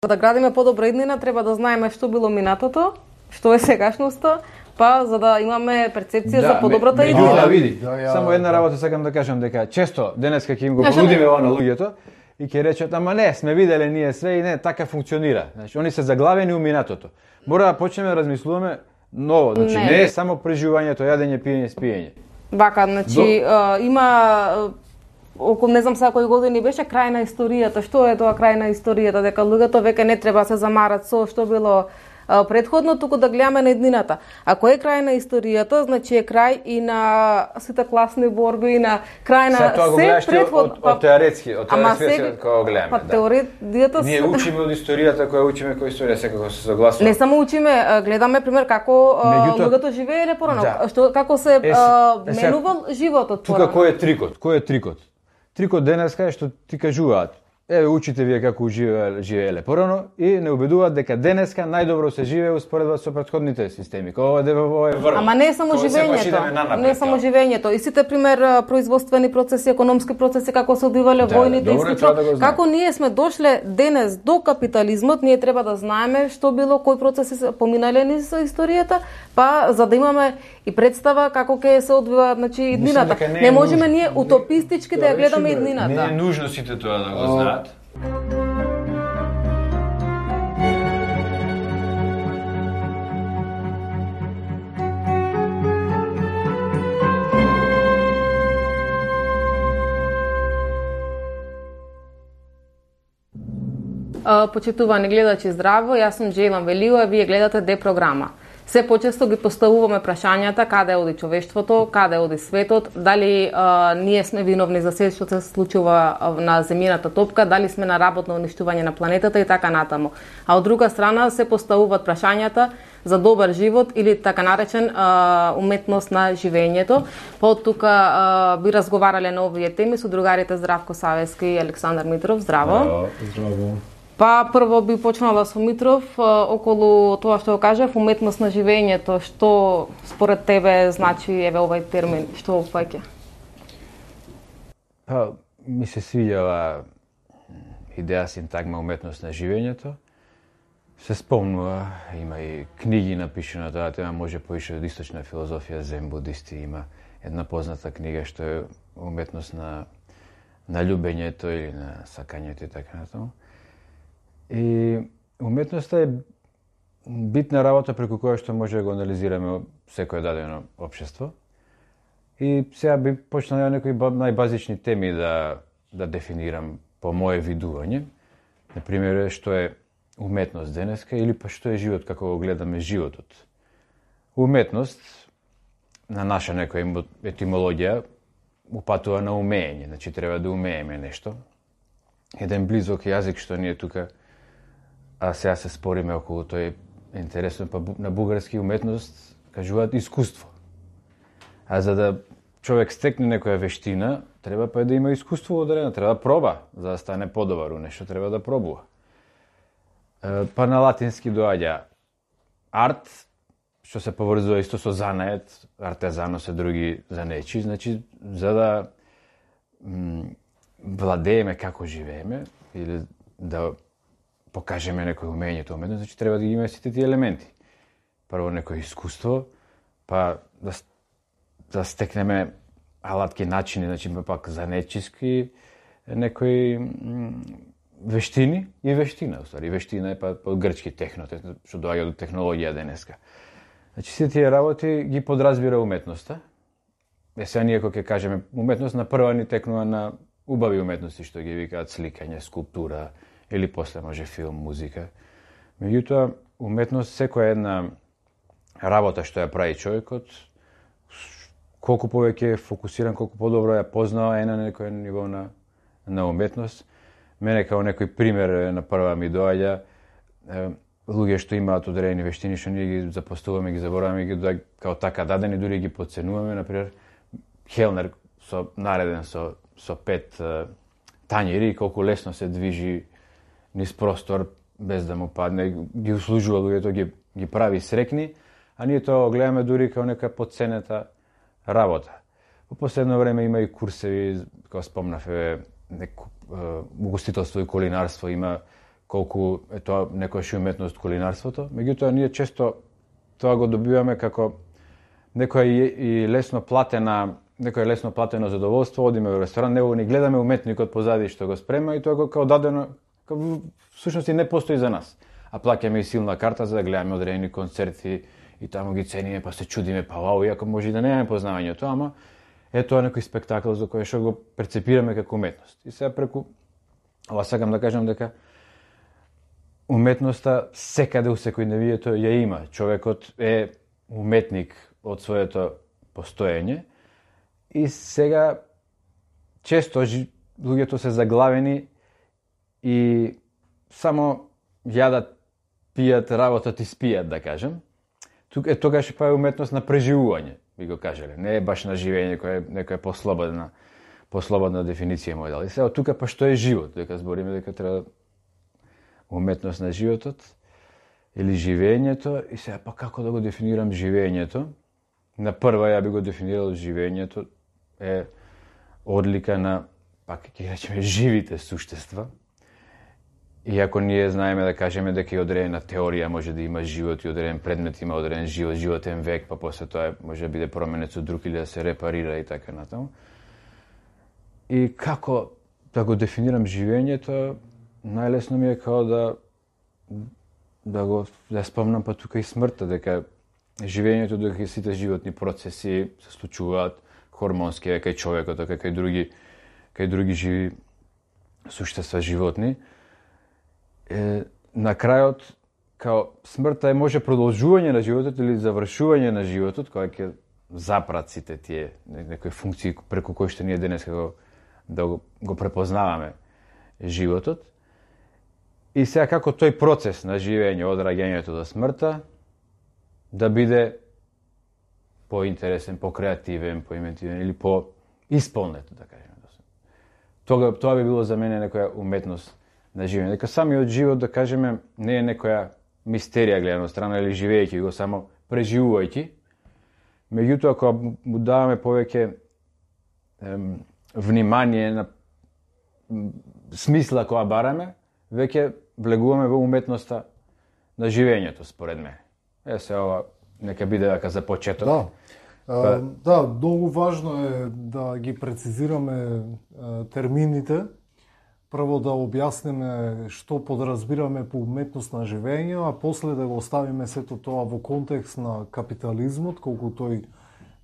Да градиме подобра иднина, треба да знаеме што било минатото, што е сегашноста, па за да имаме перцепција за подобрата иднина. Да, види. Само една работа сакам да кажам, дека често денеска ќе им го понудиме ова на луѓето и ќе речат, ама не, сме виделе ние све и не, така функционира. Значи, они се заглавени у минатото. Мора да почнеме да размислуваме ново, значи не е само преживувањето, јадење, пиење, спиење. Вака, значи има околу не знам сега кои години беше крај на историјата. Што е тоа крај на историјата? Дека луѓето веќе не треба се замарат со што било предходно, туку да гледаме на иднината. Ако е крај на историјата, значи е крај и на сите класни борби, и на крај на се предходно. Од теоретски, од теоретски кога гледаме. Па теоријата ние учиме од историјата, која учиме која историја секако се согласува. Не само учиме, гледаме пример како луѓето живееле порано, што како се менувал животот порано. Тука кој е трикот? Кој е трикот? Трикот денеска е што ти кажуваат. Еве учите вие како живееле порано и не убедуваат дека денеска најдобро се живее успоредба со претходните системи. Ова е врв. Ама не е само живењето. Не е само живењето. И сите пример производствени процеси, економски процеси како се одвивале војните и како ние сме дошле денес до капитализмот, ние треба да знаеме што било, кои процеси се поминале низ историјата, па за да имаме и представа како ќе се одвива, значи иднината. Не можеме ние утопистички да ја гледаме иднината. Не е нужно сите тоа да го знаат. Почитувани гледачи, здраво, јас сум Джейлан Велио, вие гледате Депрограма. Се почесто ги поставуваме прашањата каде оди човештвото, каде оди светот, дали ние сме виновни за се што се случува на земјината топка, дали сме на работно уништување на планетата и така натаму. А од друга страна се поставуваат прашањата за добар живот или така наречен уметност на живењето. Под тука би разговарале на овие теми со другарите Здравко Савески и Александар Митров. Здраво. Здраво. Па прво би почнала со Митров околу тоа што го кажав, уметност на живењето, што според тебе значи еве овај термин, што опфаќа? Па ми се свиѓа идеја синтагма уметност на живењето. Се спомнува, има и книги напишани на тоа тема, може поише од источна филозофија, зен будисти, има една позната книга што е уметност на љубењето или на сакањето и така натаму. И уметноста е битна работа преку која што може да го анализираме секое дадено општество. И сега би почнал некои најбазични теми да дефинирам по моje видување. Например, што е уметност денеска или па што е живот, како го гледаме животот. Уметност, на наша некоја етимологија, упатува на умење, значи треба да умееме нешто. Еден близок јазик што ние тука, а сега се спориме околу тој интересно, па на бугарски уметност кажуваат искуство. А за да човек стекне некоја вештина, треба па да има искуство одредено, треба да проба, за да стане подобар у нешто, треба да пробува. Па на латински доаѓа арт, што се поврзува исто со занает, артезано се други занечи, значи за да владееме како живееме или да покажеме некој умењето уметност, значи треба да ги имаме сите тие елементи. Прво некој искуство, па да стекнеме алатки начини, значи пак занечиски некои вештини и вештина, уствари. Вештина е па од грчки техно, што доаѓа од технологија денеска. Значи сите тие работи ги подразбира уметноста. Сега ние кога ќе кажеме уметност, на прва ни текнува на убави уметности што ги викаат сликање, скулптура или после може филм, музика. Меѓутоа, уметност секоја една работа што ја прави човекот, колку повеќе е фокусиран, колку подобро ја познава е на некој ниво на уметност. Мене као некој пример на прва ми доаѓа луѓе што имаат одредени вештини што ние ги запостуваме, ги забораваме, ги доаѓа као така дадени, дури ги потценуваме, например хелнер нареден со 5 тањери, колку лесно се движи низ простор без да му падне, ги услужува луѓето, ги прави срекни, а ние тоа гледаме дури као нека потценета работа. По последно време има и курсеви, како спомнав, угостителство и кулинарство, има колку е тоа некојаш уметност кулинарството. Меѓутоа ние често тоа го добиваме како некоја лесно платено задоволство, одиме во ресторан, него ни гледаме уметникот позади што го спрема и тоа како дадено, всушност и не постои за нас. А плаќаме и силна карта за да гледаме одредени концерти и таму ги цениме, па се чудиме, па вау, иако може и да немаме познавање тоа, ама е тоа некој спектакл за кој што го прецепираме како уметност. И сега преку ова сакам да кажам дека уметноста секаде у секојдневието ја има. Човекот е уметник од своето постоење и сега често луѓето се заглавени и само јадат, пијат, работат и спијат, да кажем. Тогаш па е уметност на преживување, би го кажале. Не е баш на живење, која е некоја послободна дефиниција мој дали. Сега тука па што е живот, дека збориме дека треба уметност на животот или живењето, и сега па како да го дефинирам живењето? На прва ја би го дефинирал живењето е одлика на, пак ќе речеме, живите суштества. Иако ние знаеме да кажеме дека и одредена теорија може да има живот и одреден предмет има одреден живот, животен век, па после тоа може да биде променет со друг или да се репарира и така натаму. И како да го дефинирам живењето, најлесно ми е као да спомнам па тука и смртта, дека живењето, дека сите животни процеси се случуваат хормонски, дека и човекот, дека и други живи суштества животни. На крајот, као смртта може продолжување на животот или завршување на животот, кој ќе запрат сите тие некои функции преку кои што ние денес да го препознаваме животот. И сега како тој процес на живење од раѓањето до смртта да биде поинтересен, покреативен, поиметивен или поисполнет, да кажеме. Тоа би било за мене некоја уметност на живење. Дека самиот живот, да кажеме, не е некоја мистерија гледано страна или живеејќи го, само преживувајќи. Меѓутоа, кога му даваме повеќе внимание на смисла која бараме, веќе влегуваме во уметноста на живењето, според мене. Се ова нека биде дека за почеток. Да, многу важно е да ги прецизираме термините. Прво да објасниме што подразбираме по уметност на живење, а после да го оставиме сето тоа во контекст на капитализмот, колку тој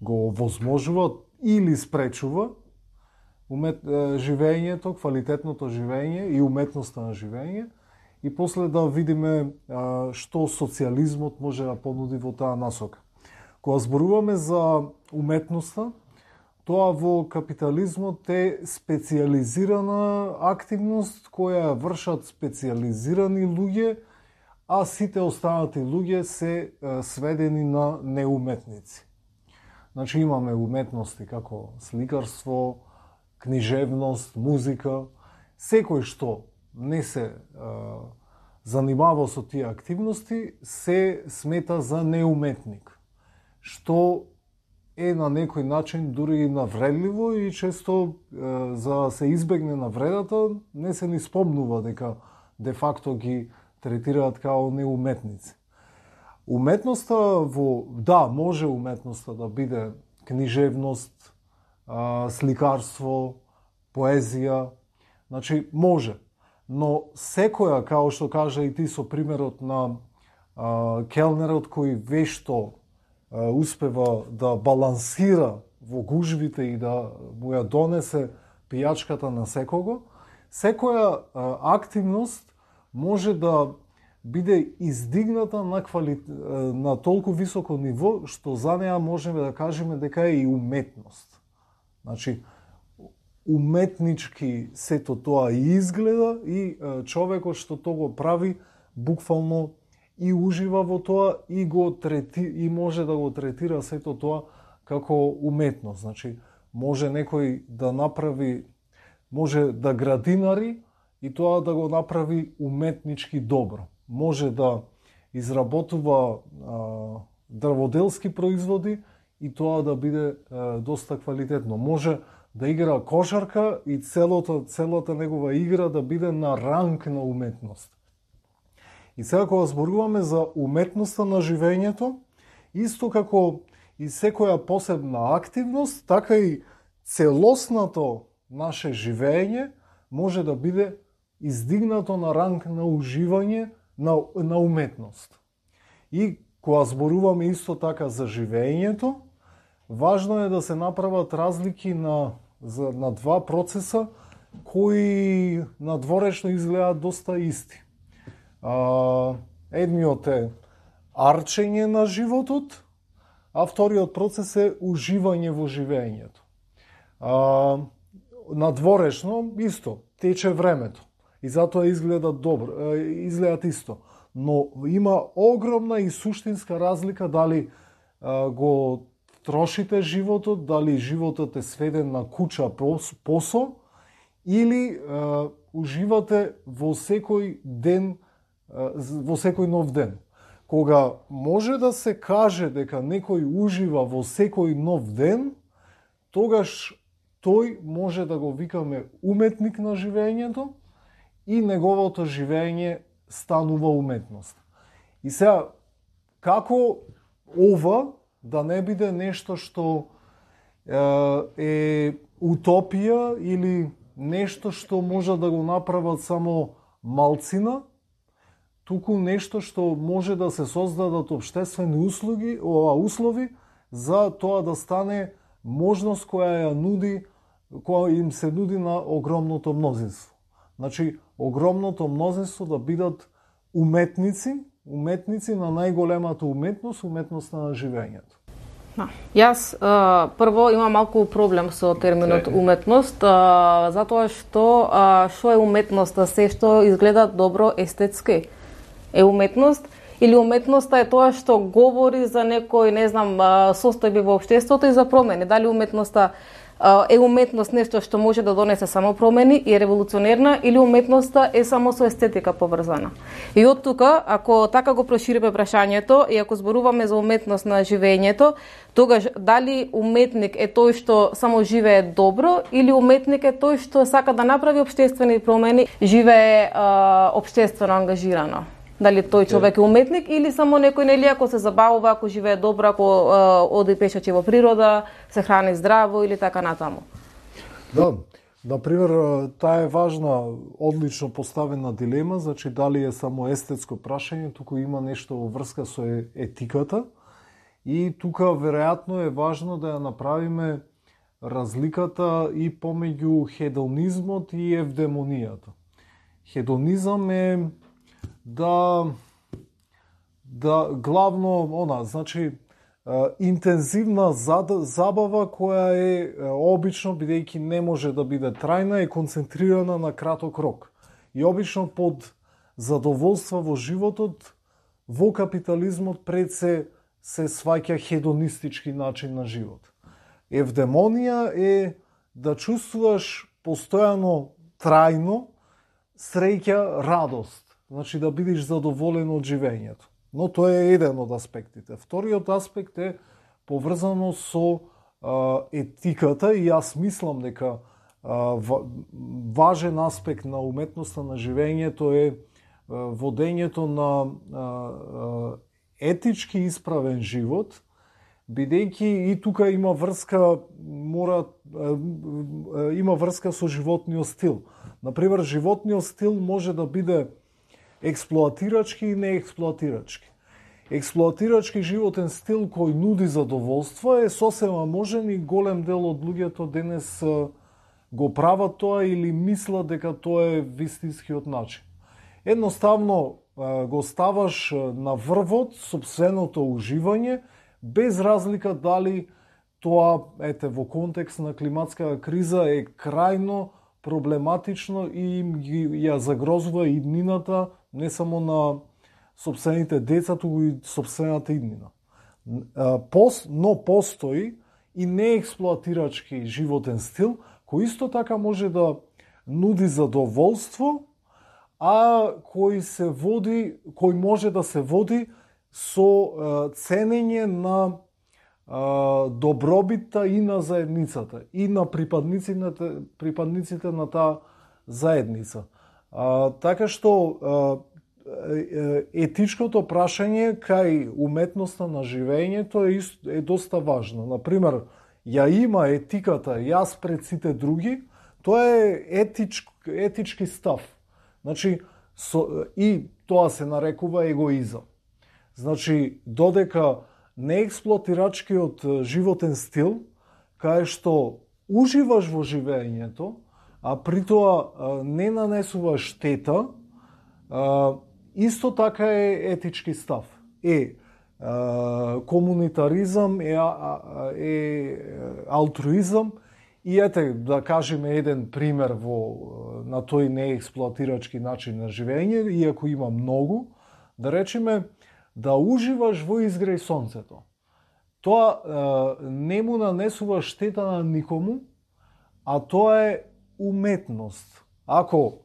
го возможува или спречува живењето, квалитетното живење и уметноста на живење, и после да видиме што социјализмот може да понуди во таа насока. Кога зборуваме за уметноста, тоа во капитализмот е специјализирана активност која вршат специјализирани луѓе, а сите останати луѓе се сведени на неуметници. Значи имаме уметности како сликарство, книжевност, музика, секој што не се занимава со тие активности се смета за неуметник, што е на некој начин дури и навредливо и често за да се избегне навредата не се ни спомнува дека де факто ги третираат као неуметници. Уметноста може уметноста да биде книжевност, сликарство, поезија, значи може. Но секоја, као што кажа и ти со примерот на келнерот кој вешто успева да балансира во гужвите и да му ја донесе пијачката на секого, секоја активност може да биде издигната на толку високо ниво, што за неа можеме да кажеме дека е и уметност. Значи, уметнички сето тоа и изгледа и човекот што тоа го прави буквално и ужива во тоа и може да го третира сето тоа како уметност. Значи, може некој да направи, може да градинари и тоа да го направи уметнички добро. Може да изработува дрводелски производи и тоа да биде доста квалитетно. Може да игра кошарка и целата негова игра да биде на ранг на уметност. И сега кога зборуваме за уметноста на живењето, исто како и секоја посебна активност, така и целосното наше живење може да биде издигнато на ранг на уживање на уметност. И кога зборуваме исто така за живењето, важно е да се направат разлики на два процеса кои надворешно изгледаат доста исти. Едниот е арчење на животот, а вториот процес е уживање во живењето. Надворешно исто тече времето и затоа изгледат добро, изгледат исто, но има огромна и суштинска разлика дали го трошите животот, дали животот е сведен на куча посо или уживате во секој ден, во секој нов ден. Кога може да се каже дека некој ужива во секој нов ден, тогаш тој може да го викаме уметник на живењето и неговото живење станува уметност. И сега, како ова да не биде нешто што е утопија или нешто што може да го направат само малцина, туку нешто што може да се создадат општествени услови за тоа да стане можност која им се нуди на огромното мнозинство. Значи, огромното мнозинство да бидат уметници на најголемата уметноста на живењето. Јас прво имам малку проблем со терминот уметност, затоа што е уметноста, се што изгледа добро естетски е уметност, или уметноста е тоа што говори за некој, не знам, состојби во општеството и за промени. Дали уметноста е уметност нешто што може да донесе само промени и е револуционерна, или уметноста е само со естетика поврзана. И од тука, ако така го прошириме прашањето и ако зборуваме за уметност на живењето, тогаш дали уметник е тој што само живее добро, или уметник е тој што сака да направи општествени промени, живее општествено ангажирано? Дали тој човек е уметник или само некој, нели, ако се забавува, ако живее добро, ако оди пешачи во природа, се храни здраво или така натаму? Да, например, таа е важна, одлично поставена дилема, значи дали е само естетско прашање, туку има нешто во врска со етиката и тука веројатно е важно да ја направиме разликата и помеѓу хедонизмот и евдемонијата. Хедонизам е да главно значи интензивна забава која е обично, бидејќи не може да биде трајна, е концентрирана на краток рок. И обично под задоволства во животот, во капитализмот пред се сваќа хедонистички начин на живот. Евдемонија е да чувствуваш постојано трајно среќа, радост. Значи да бидеш задоволен од живењето. Но тоа е еден од аспектите. Вториот аспект е поврзано со етиката и јас мислам дека важен аспект на уметноста на живењето е водењето на етички исправен живот, бидејќи и тука има врска со животниот стил. Например, животниот стил може да биде експлоатирачки и неексплоатирачки. Експлоатирачки животен стил кој нуди задоволство е сосема можен и голем дел од луѓето денес го прават тоа или мислат дека тоа е вистинскиот начин. Едноставно го ставаш на врвот сопственото уживање, без разлика дали тоа, во контекст на климатска криза, е крајно проблематично и ја загрозува иднината не само на сопствените деца, туку и сопствената иднина. Но постои и неексплоатирачки животен стил, кој исто така може да нуди задоволство, а кој може да се води со ценење на добробитта и на заедницата, и на припадниците на таа заедница. Така што етичкото прашање кај уметноста на живењето е доста важно. Например, ја има етиката јас пред сите други, тоа е етички став. Значи, и тоа се нарекува егоизам. Значи, додека неексплоатирачкиот животен стил, кај што уживаш во живењето, а при тоа не нанесува штета, исто така е етички став. Комунитаризам, е алтруизам, и ете, да кажеме еден пример на тој неексплоатирачки начин на живење, иако има многу, да речеме, да уживаш во изгреј сонцето. Тоа не му нанесува штета на никому, а тоа е уметност. Ако,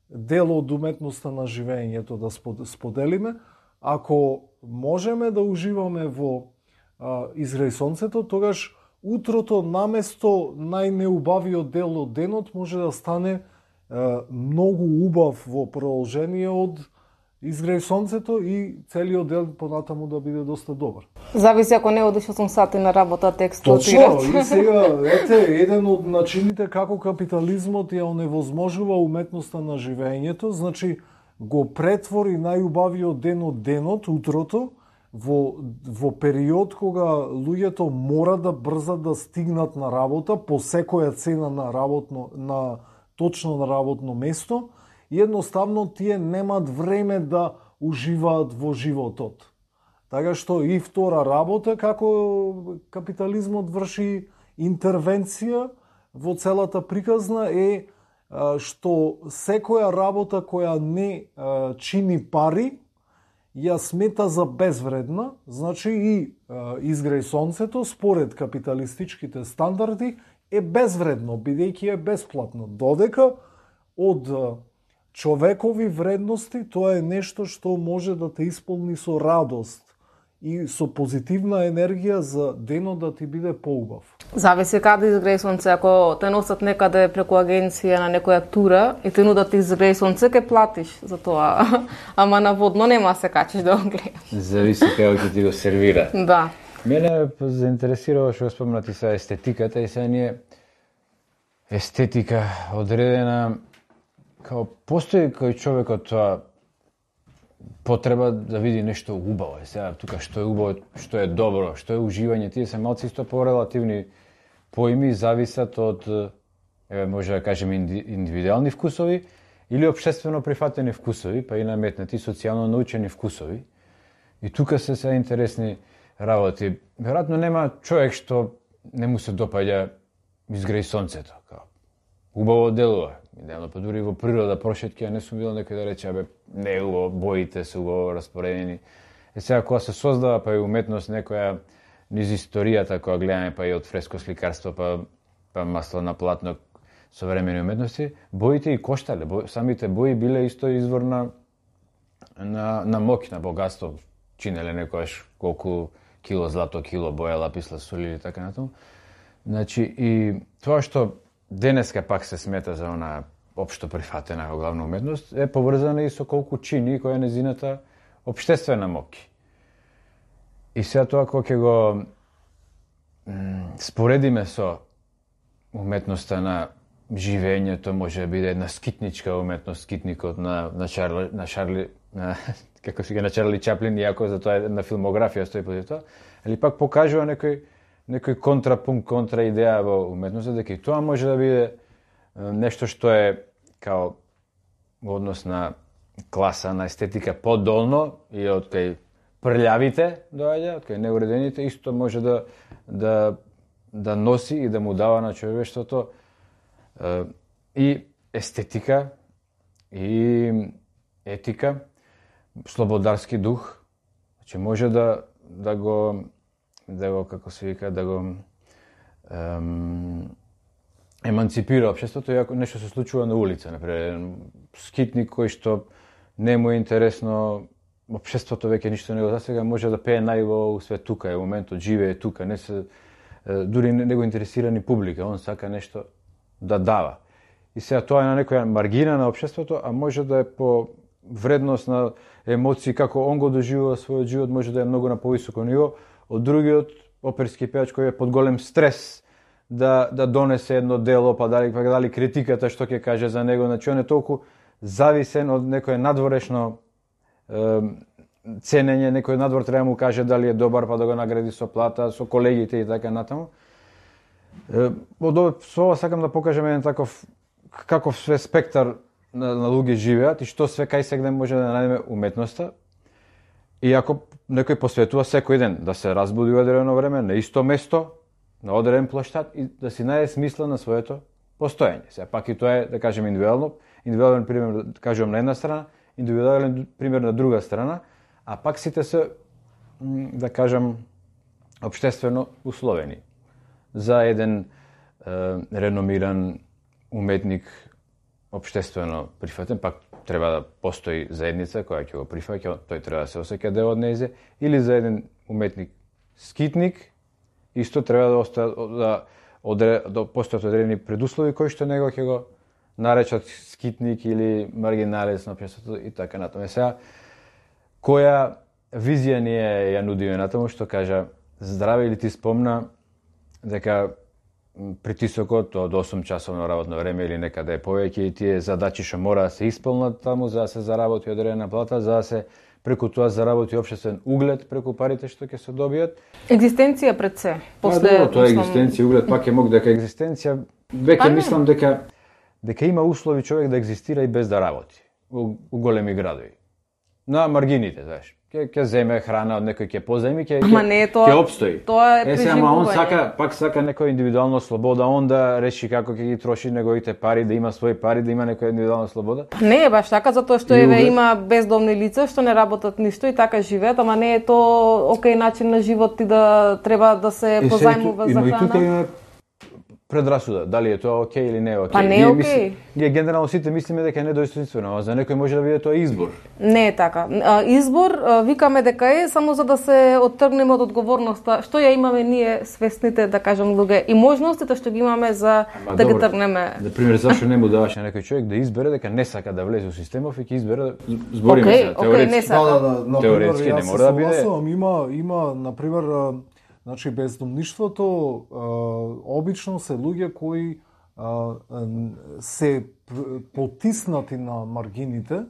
дел од уметноста на живењето да споделиме, ако можеме да уживаме во изгреј сонцето, тогаш утрото наместо најнеубавиот дел од денот може да стане многу убав во продолжение од изгреј сонцето и целиот дел понатаму да биде доста добар. Зависи ако не одиш 8 сати на работа, те експлоатират. Точно, и сега, еден од начините како капитализмот ја оневозможува уметноста на живењето, значи го претвори најубавиот ден од денот, утрото, во период кога луѓето мора да брзат да стигнат на работа по секоја цена точно на работно место, и едноставно тие немаат време да уживаат во животот. Така што и втора работа, како капитализмот врши интервенција во целата приказна, е што секоја работа која не чини пари, ја смета за безвредна, значи и изгреј сонцето, според капиталистичките стандарди, е безвредно, бидејќи е бесплатно. Додека од човекови вредности, тоа е нешто што може да те исполни со радост и со позитивна енергија за денот да ти биде поубав. Зависи каде изгреј сонце. Ако те носат некаде преку агенција на некоја тура и те нудат изгреј сонце, ке платиш за тоа. Ама наводно нема се качиш да го гледаш. Зависи како ќе ти го сервира. Да. Мене заинтересирало што спомнати са естетиката, и сега ние естетика одредена, као постои кај човекот тоа потреба да види нешто убаво. Сега тука што е убаво, што е добро, што е уживање, тие се малци исто порелативни поими, зависат од, може да кажеме, индивидуални вкусови или општествено прифатени вкусови, па и наметнати социјално научени вкусови. И тука се интересни работи. Веројатно нема човек што не му се допаѓа изгреј сонцето. Убаво делува. Идеално, па дури во природа прошетки, а не сум видел некој да рече, не е убаво, боите се убаво распоредени. Сега кога се создава па и уметност некоја низ историјата, која гледаме па и од фреско сликарство, па масло на платно, современи уметности, боите и коштале. Самите бои биле исто извор на моќ, на богатство. Чинеле некојаш колку кило злато, кило боја, лапис лазури или така натаму. Значи, и тоа што денеска пак се смета за она општо прифатена главна уметност, е поврзана и со колку чини која е незината општествена моќ. И сега тоа кога ќе го споредиме со уметноста на живењето, може да биде една скитничка уметност, скитникот на Чарли Чаплин, иако за тоа е една филмографија стои по тоа, али пак покажува некој контрапункт, контра идеја во уметноста, дека и тоа може да биде нешто што е као во однос на класа, на естетика подолно и од кај прљавите доаѓа, од кај неуредените, исто може да носи и да му дава на човештвото и естетика, и етика, слободарски дух, значи може да го како се вика, да го еманципира општеството, иако нешто се случува на улица, например, скитник кој што не му е интересно, општеството веќе ништо не го засега, може да пее најубаво све тука, е моментот, живее тука, не се дури не го интересира ни публика, он сака нешто да дава. И сега тоа е на некоја маргина на општеството, а може да е по вредност на емоции, како он го доживува својот живот, може да е многу на повисоко ниво, од другиот оперски пејач кој е под голем стрес да донесе едно дело, па дали критиката што ќе каже за него, значи он е толку зависен од некое надворешно ценење, некој надвор треба да му каже дали е добар, па да го награди со плата, со колегите и така натаму. Со ова сакам да покажем еден каков све спектар на луѓе живеат и што све кај сегде може да најдеме уметноста. И ако некој посветува секој ден да се разбуди во одредено време, на исто место, на одреден плоштад и да си најде смисла на своето постоење. Сега пак и тоа е, да кажем, индивидуален пример, да кажем, на една страна, индивидуален пример на друга страна, а пак сите се, да кажем, општествено условени. За еден реномиран уметник, општествено прифатен, пак треба да постои заедница која ќе го прифаќа, тој треба да се осеќа дел од нејзе, или за еден уметник скитник, исто треба да постојат одредени предуслови кои што него ќе го наречат скитник или маргиналец на општеството и така натаму. Сега, која визија ние ја нудиме натаму, што кажа Здраве, или ти спомна дека притисокот од 8 часовно работно време или некаде повеќе и тие задачи што мора да се исполнат таму за да се заработи одредена плата, за да се преку тоа заработи општествен углед преку парите што ќе се добијат. Екзистенција пред се. После тоа екзистенција, углед, пак е мог дека екзистенција, веќе мислам дека има услови човек да екзистира и без да работи у големи градови. На маргините, знаеш. Ќе земе храна од некој, ќе позајми, ќе опстои. Тоа е преживување. Он сака некоја индивидуална слобода, он да реши како ќе ги троши неговите пари, да има своји пари, да има некоја индивидуална слобода. Не е баш така, затоа што има бездомни лица што не работат ништо и така живеат, ама не е тоа окей начин на живот и да треба да се позајмува за храна. И тука има предрасуда, дали е тоа окей или не е окей. Па не е окей. Ние генерално сите мислиме дека е недостоинствено, а за некој може да биде тоа избор. Не е така. Избор викаме дека е само за да се оттргнеме од одговорноста што ја имаме ние свесните, да кажам, луѓе и можностите што ги имаме за да ги тргнеме. На пример, зашто не му даваш на некој човек да избере дека не сака да влезе во системов и ќе избере збориме се теоретски. Теоретски не мора да биде. Има на пример значи, бездомништвото обично се луѓе кои се потиснати на маргините,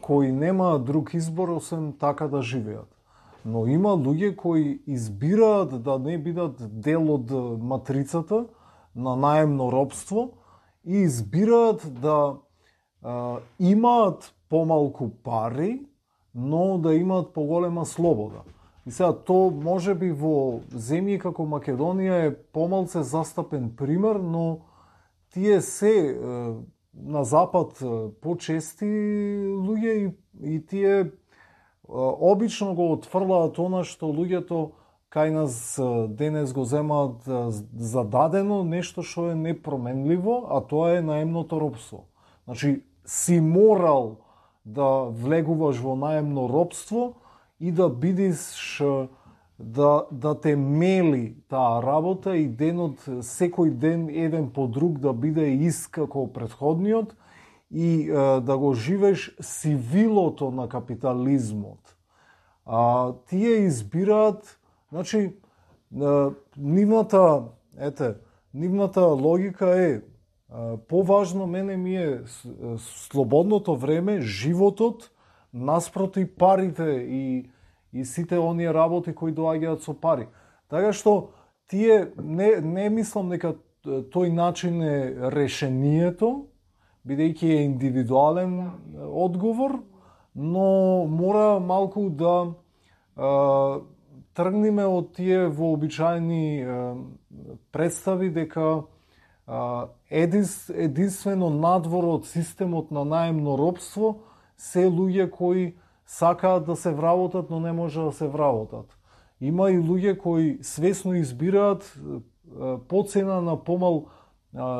кои нема друг избор освен така да живеат. Но има луѓе кои избираат да не бидат дел од матрицата на наемно робство и избираат да имаат помалку пари, но да имаат поголема слобода. И сега, то може би во земји како Македонија е помалце застапен пример, но тие се на запад почести луѓе и тие обично го отфрлаат она што луѓето кај нас денес го земаат зададено, нешто што е непроменливо, а тоа е наемното робство. Значи, си морал да влегуваш во наемно робство и да бидиш да те мели таа работа и денот, секој ден еден по друг да биде ист како претходниот и да го живееш сивилото на капитализмот. Тие избираат, значи, нивната логика е поважно мене ми е слободното време, животот, наспроти парите и сите оние работи кои доаѓаат со пари. Така што тие не мислам дека тој начин е решението, бидејќи е индивидуален одговор, но мора малку да тргнеме од тие вообичаени представи дека единствено надвор од системот на наемно робство се луѓе кои сакаат да се вработат, но не може да се вработат. Има и луѓе кои свесно избираат по цена на помал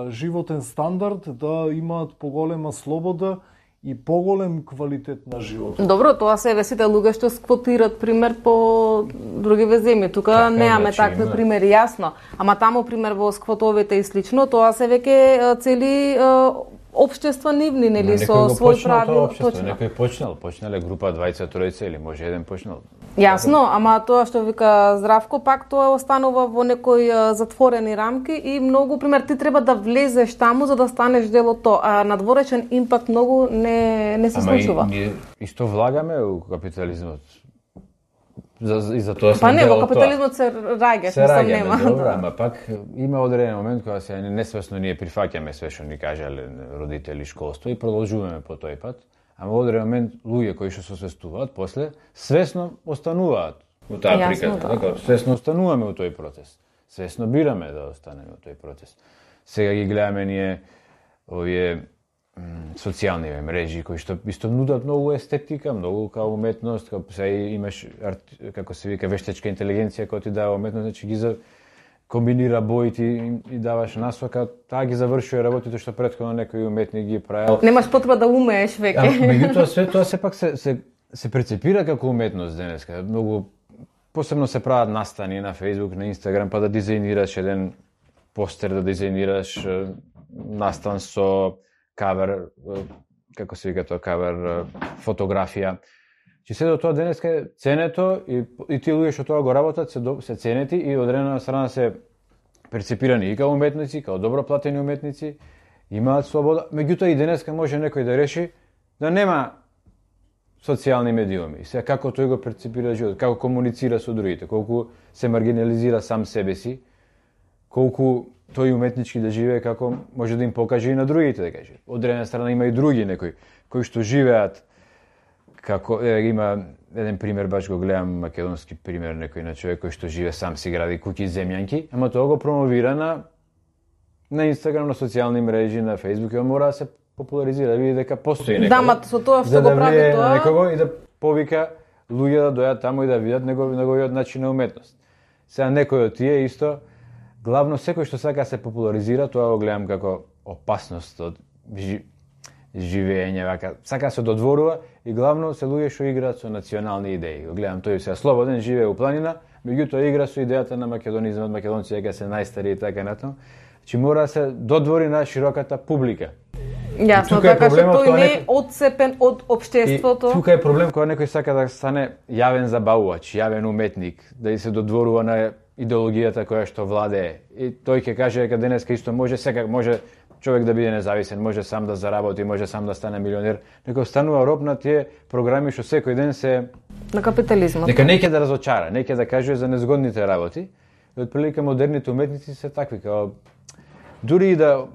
животен стандард да имаат поголема слобода и поголем квалитет на живот. Добро, тоа се сите луѓе што сквотират пример по други земји. Тука немаме такви примери, јасно. Ама таму пример во сквотовите и слично, тоа се веќе цели општества нивни, нели, со свој правил, точно. Некој почнале група 20-тројца или може еден почнал. Јасно, ама тоа што вика Здравко, пак тоа останува во некои затворени рамки и многу, пример, ти треба да влезеш таму за да станеш дел од тоа, а надворечен импакт многу не се случува. Ама ние исто влагаме у капитализмот. И за тоа па не, во капитализмот се раѓаш, мислам нема. Добро, ама пак има одреден момент кога се несвесно ние прифаќаме све што ни кажале родители, школство и продолжуваме по тој пат. Ама во одреден момент луѓе кои што се освестуваат после свесно остануваат во таа приказна, така, свесно остануваме во тој процес. Свесно бираме да останеме во тој процес. Сега ги гледаме ние овие социјални мрежи кои што исто нудат многу естетика, многу као уметност, као сега имаш како се вика вештачка интелигенција која ти дава уметност, значи ги комбинира боите и даваш насока, таа ги завршува работите што претходно некој уметник ги правил. Немаш потреба да умееш веќе. Меѓутоа све тоа сепак се прецепира како уметност денеска. Многу посебно се прават настани на Facebook, на Instagram, па да дизајнираш еден постер, да дизајнираш настан со кавер, како се вика тоа, кавер фотографија. Че се до тоа денеска е ценето и тие луѓе што тоа го работат се ценети и одредена страна се перцепирани и као уметници, као добро платени уметници, имаат слобода. Меѓутоа и денеска може некој да реши да нема социјални медиуми. Сега како тој го перцепира живот, како комуницира со другите, колку се маргинализира сам себе си, колку тој уметнички да живее како може да им покаже и на другите, да каже. Од една страна има и други некои кои што живеат како има еден пример, баш го гледам македонски пример, некој на човек кој што живее сам си гради куќи земјанки, ама тоа го промовира на Инстаграм, на социјални мрежи, на Фејсбук, и он мора да се популаризира, да види дека постои некој. Да, ма со тоа што го прави тоа, некого и да повика луѓе да дојдат таму и да видат неговиот начин на уметност. Сега некој од тие исто главно секој што сака да се популаризира, тоа го гледам како опасност од живење, вака, сака да се додворува и главно се луѓе што играат со национални идеи. Го гледам тој сега слободен, живее у планина, меѓутоа игра со идејата на македонизмот, македонци дека се најстари и така натаму. Че мора да се додвори на широката публика. Јасно, така што тој не е одцепен од општеството. И тука е проблем кога некој сака да стане јавен забавувач, јавен уметник, да се додворува на идеологијата која што владее. И тој ќе каже дека денеска исто може човек да биде независен, може сам да заработи, може сам да стане милионер, некој станува роб на тие програми што секој ден се на капитализмот. Нека неќе да разочара, неќе да каже за незгодните работи. И отприлика модерните уметници се такви, као дури и да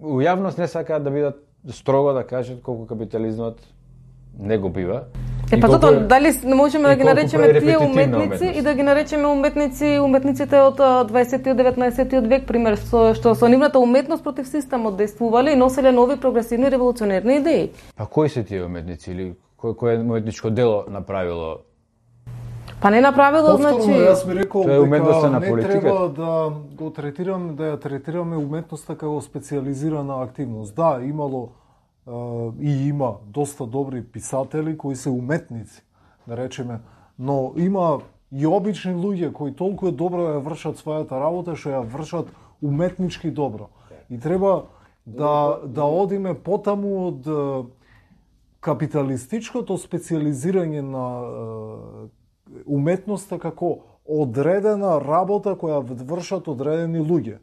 у јавност не сакаат да бидат строго да кажат колку капитализмот не го бива. Па затоа дали не можеме да ги наречеме тие уметници и да ги наречеме уметниците од 20 и 19 век, пример, што со нивната уметност против системот действувале и носеле нови прогресивни револуционерни идеи. Па кои се тие уметници или кој уметничко дело направило? Па не направило, значи... Јас би рекол дека не треба да го третираме, да ја третираме уметноста како специјализирана активност. Да, имало и има доста добри писатели кои се уметници, да речеме, но има и обични луѓе кои толку добро ја вршат својата работа што ја вршат уметнички добро. И треба да одиме потаму од капиталистичкото специјализирање на уметноста како одредена работа која вршат одредени луѓе.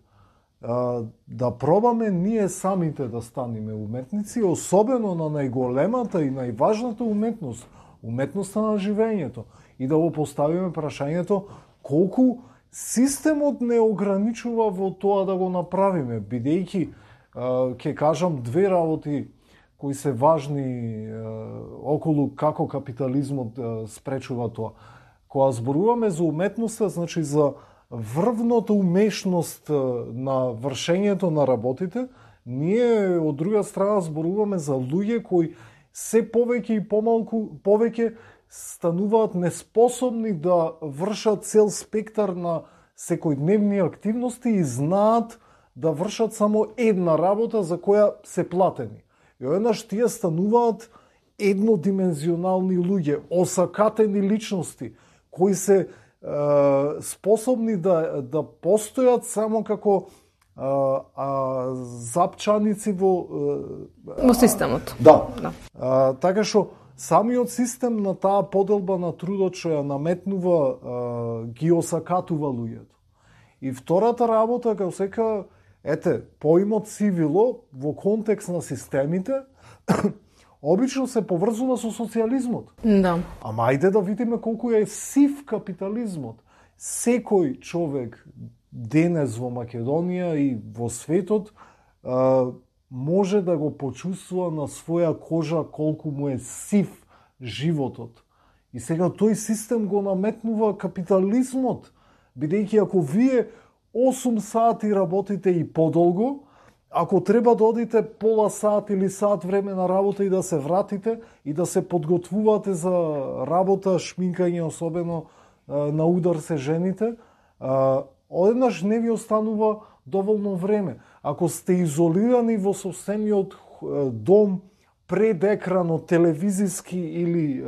Да пробаме ние самите да станеме уметници, особено на најголемата и најважната уметност, уметноста на живењето, и да го поставиме прашањето колку системот не ограничува во тоа да го направиме, бидејќи ќе кажам две работи кои се важни околу како капитализмот спречува тоа. Кога зборуваме за уметноста, значи за врвната умешност на вршењето на работите, ние од друга страна зборуваме за луѓе кои се повеќе и повеќе стануваат неспособни да вршат цел спектар на секојдневни активности и знаат да вршат само една работа за која се платени. И одеднаш тие стануваат еднодимензионални луѓе, осакатени личности, кои се способни да постојат само како запчаници во системот. Да. Така што самиот систем на таа поделба на трудот што ја наметнува ги осакатува луѓето. И втората работа како сека, поимот цивило во контекст на системите обично се поврзува со социјализмот. Да. Ама ајде да видиме колку е сив капитализмот. Секој човек денес во Македонија и во светот може да го почувствува на своја кожа колку му е сив животот. И сега тој систем го наметнува капитализмот, бидејќи ако вие 8 сати работите и подолго, ако треба да одите пола сат или сат време на работа и да се вратите и да се подготвувате за работа, шминкање, особено на удар се жените, одеднаш не ви останува доволно време. Ако сте изолирани во сопствениот дом пред екранот телевизиски или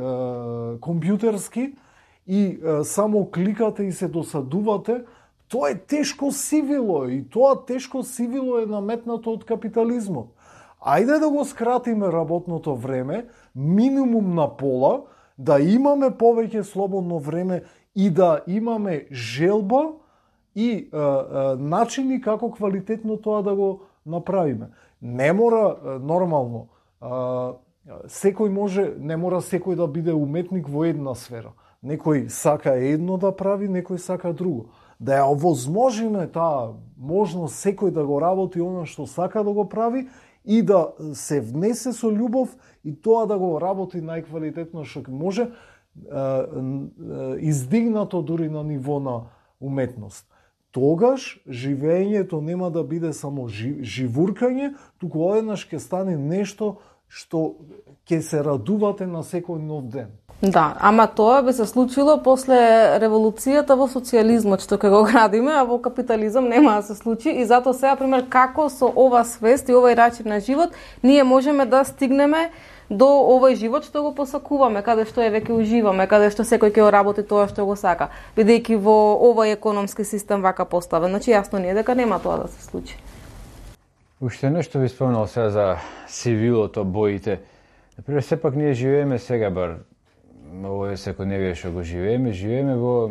компјутерски и само кликате и се досадувате, тоа е тешко сивило и тоа тешко сивило е наметнато од капитализмот. Ајде да го скратиме работното време, минимум на пола, да имаме повеќе слободно време и да имаме желба и начини како квалитетно тоа да го направиме. Не мора нормално. Секој може, не мора секој да биде уметник во една сфера. Некој сака едно да прави, некој сака друго. Да ја овозможиме таа можност секој да го работи она што сака да го прави и да се внесе со љубов и тоа да го работи најквалитетно што може, издигнато дури на ниво на уметност. Тогаш живењето нема да биде само живуркање, туку одеднаш ќе стане нешто што ќе се радувате на секој нов ден. Да, ама тоа би се случило после револуцијата во социјализмот што ќе го градиме, а во капитализам нема да се случи и затоа сега пример како со ова свест и овој начин на живот ние можеме да стигнеме до овој живот што го посакуваме, каде што веќе уживаме, каде што секој ќе работи тоа што го сака, бидејќи во овој економски систем вака поставен. Значи јасно ни е дека нема тоа да се случи. Уште нешто ви спомнал сега за сивилото, боите. Например, сепак ние живееме сега бар овој секојдневие што го живееме во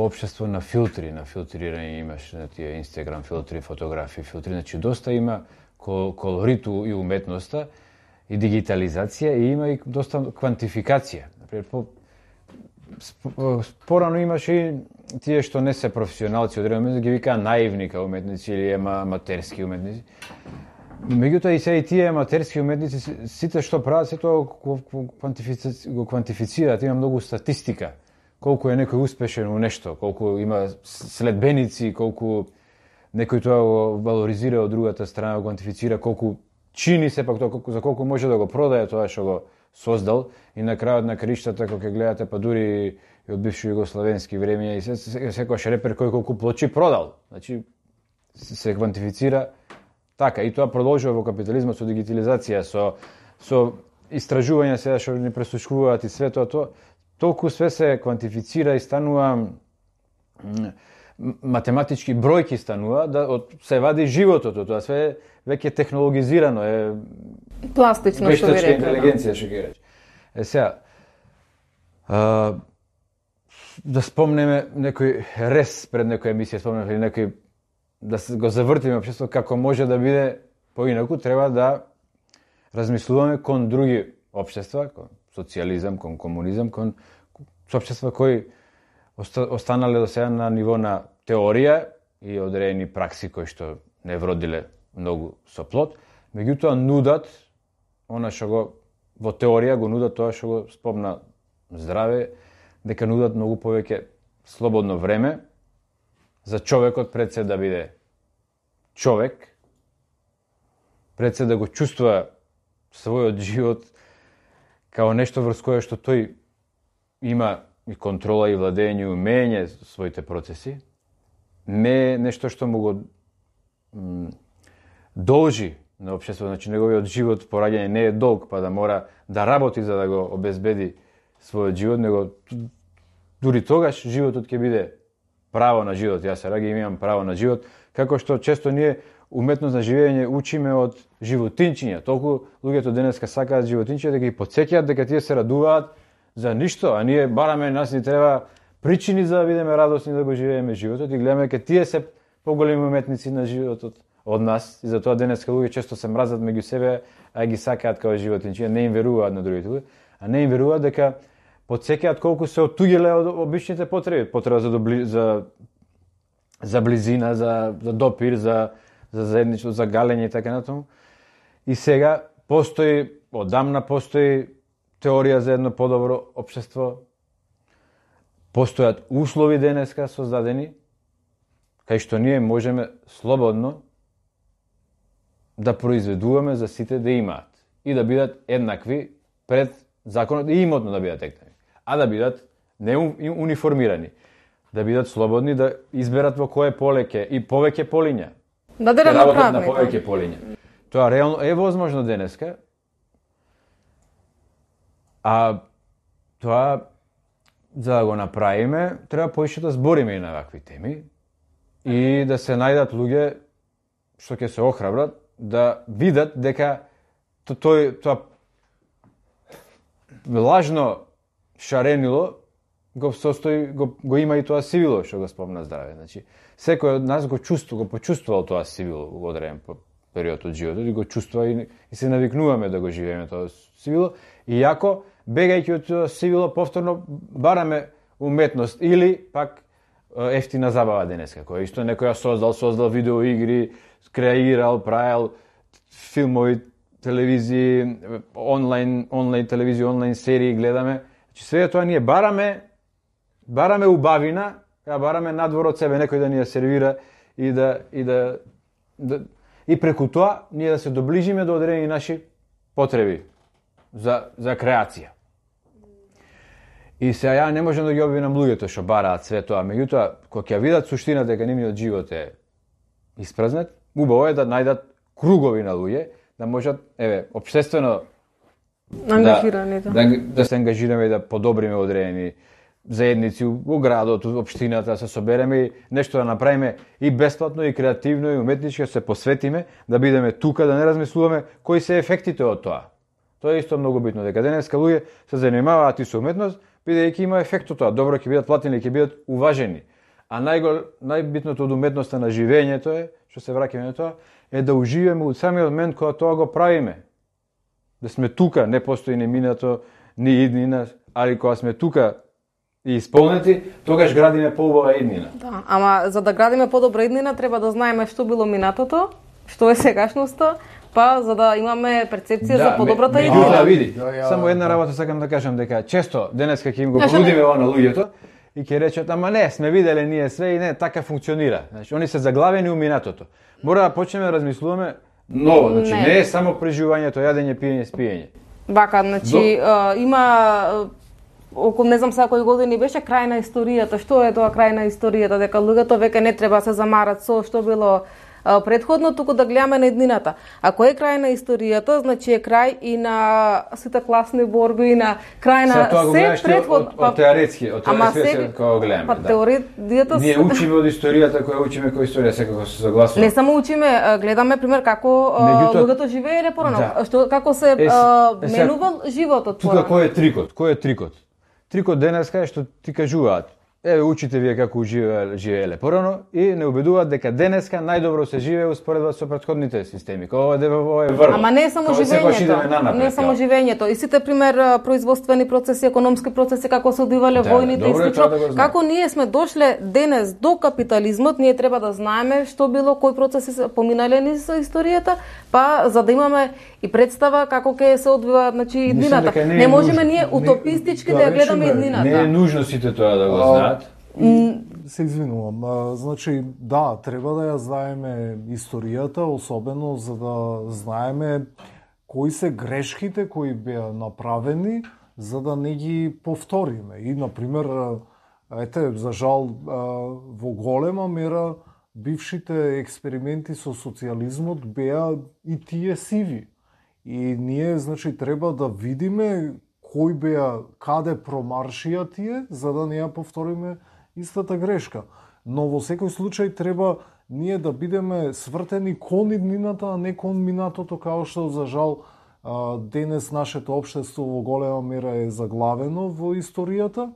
општество на филтри, на филтрирање, имаш на тие Инстаграм филтри, фотографии филтри, значи доста има колориту и уметноста и дигитализација и има и доста квантификација. Например, порано имаше и тие што не се професионалци од време, ги викаа наивника уметници или аматерски уметници. Меѓутоа и се и тие аматерски уметници, сите што прават, се тоа го квантифицираат, има многу статистика. Колку е некој успешен у нешто, колку има следбеници, колку некој тоа го валоризира од другата страна, го квантифицира, колку чини сепак тоа, за колку може да го продае тоа што го создал и на крајот на краиштата кога ќе гледате па дури и од бивши југословенски времења и секојаш репер кој колку плочи продал. Значи се квантифицира така и тоа продолжува во капитализмот со дигитализација, со истражувања сега што ни пресушкуваат и све тоа, толку све се квантифицира и станува математички бројки станува, да се вади животот од тоа, све веќе технологизирано е пластично што ви рекла. Интелигенција што ќе рече. Сега да спомнеме некој рез пред некоја емисија, спомнеме или некој да го завртиме општеството како може да биде поинаку, треба да размислуваме кон други општества, кон социјализам, кон комунизам, кон општества кои останале до сега на ниво на теорија и одредени пракси кои што не вродиле многу со плод, меѓутоа нудат она што го во теорија го нудат тоа што го спомна здраве, дека нудат многу повеќе слободно време за човекот пред се да биде човек, пред се да го чувствува својот живот као нешто врз кое што тој има и контрола и владење, умење своите процеси, не нешто што му го должи на општеството, значи неговиот живот пораѓање не е долг, па да мора да работи за да го обезбеди својот живот, него дури тогаш животот ќе биде право на живот. Јас сега имам право на живот, Како што често ние уметност на живење учиме од животинчиња. Толку луѓето денеска сакаат животинчиња да ги потсеќаат дека тие се радуваат за ништо, а ние бараме, нас ни треба причини за да бидеме радосни да го живееме животот и гледаме дека тие се поголеми уметници на животот од нас и затоа денеска луѓе често се мразат меѓу себе, а ги сакаат како животинчиња, не им веруваат на другите луѓе, а не им веруваат дека потсеќаат колку се оттуѓиле од обичните потреби, потреба за близина, за допир, за заедничество, за галење и така натаму. И сега одамна постои теорија за едно подобро општество. Постојат услови денеска создадени кај што ние можеме слободно да произведуваме за сите да имаат и да бидат еднакви пред законот и имотно да бидат еднакви, а да бидат не униформирани, да бидат слободни да изберат во кое поле и повеќе полиња. Да работат на повеќе полиња. Тоа реално е возможно денеска. А тоа за да го направиме, треба поише да збориме и на вакви теми и да се најдат луѓе што ќе се охрабрат да видат дека тоа лажно шаренило го има и тоа сивило што го спомна Здраве. Значи, секој од нас го почувствувал тоа сивило во одреден период од животот и го чувствува и се навикнуваме да го живееме тоа сивило. И јако, бегајќи од тоа сивило, повторно бараме уметност или пак ефтина забава денеска, која исто некој ја создал видеоигри, креирал, правил филмови, телевизии, онлайн телевизија, онлайн серии гледаме. Значи све тоа ние бараме убавина, бараме надвор од себе некој да ни ја сервира и преку тоа ние да се доближиме до одредени наши потреби за креација. И сега ја не можам да ги обвинам луѓето што бараат све тоа, меѓутоа кога ќе видат суштина дека нивниот живот е испразнет, убаво е да најдат кругови на луѓе, да можат, општествено да се ангажираме и да подобриме одредени заедници во градот, во општината, да се собереме и нешто да направиме и бесплатно, и креативно, и уметнички, да се посветиме, да бидеме тука, да не размислуваме кои се ефектите од тоа. Тоа е исто многу битно, дека денеска луѓе се занимаваат и со уметност, бидејќи има ефект од тоа. Добро ќе бидат платени, ќе бидат уважени. А најбитното од уметноста на живењето е, што се враќаме на тоа, е да уживаме од самиот момент кога тоа го правиме. Да сме тука, не постои ни минато, ни иднина, али кога сме тука и исполнети, тогаш градиме поубава иднина. Да, ама за да градиме подобра иднина треба да знаеме што било минатото, што е сегашноста, па за да имаме перцепција за подобрата иднина. Да, види. Само една работа сакам да кажам дека често денеска ќе им го понудиме ова на луѓето и ќе речат ама не, сме виделе ние све и не така функционира. Значи они се заглавени у минатото. Мора да почнеме да размислуваме ново, значи не е само преживувањето, јадење, пиење, спиење. Вака, значи има околу не знам сега кои години беше крај на историјата. Што е тоа крај на историјата? Дека луѓето веќе не треба да се замарат со што било предходно, туку да гледаме на иднината. Ако е крај на историјата, значи е крај и на сите класни борби, и на крај на се предходно. Од теоретски кога го гледаме. Па теоријата ние учиме од историјата, која учиме која историја секако се согласува. Не само учиме, гледаме пример како луѓето живееле порано, што како се менувал животот порано. Тука кој е трикот? Трикот денеска е што ти кажуваат. Учите вие како живееле порано и не убедуваат дека денеска најдобро се живее успоредба со претходните системи. Ова е врв. Ама не е само живењето. Не е само живењето. И сите пример производствени процеси, економски процеси како се одвивале војните и слично. Како ние сме дошле денес до капитализмот, ние треба да знаеме што било, кои процеси се поминале низ историјата, па за да имаме и представа како ќе се одвива, значи иднината. Не можеме ние утопистички да ја гледаме иднината. Не е нужно сите тоа да го знаат. Се извинувам. Значи, да, треба да ја знаеме историјата, особено за да знаеме кои се грешките кои беа направени, за да не ги повториме. И, например, за жал, во голема мера бившите експерименти со социјализмот беа и тие сиви. И ние, значи, треба да видиме кои беа, каде промаршија тие, за да не ја повториме истата грешка. Но во секој случај треба ние да бидеме свртени кон иднината, а не кон минатото, као што за жал денес нашето општество во голема мера е заглавено во историјата.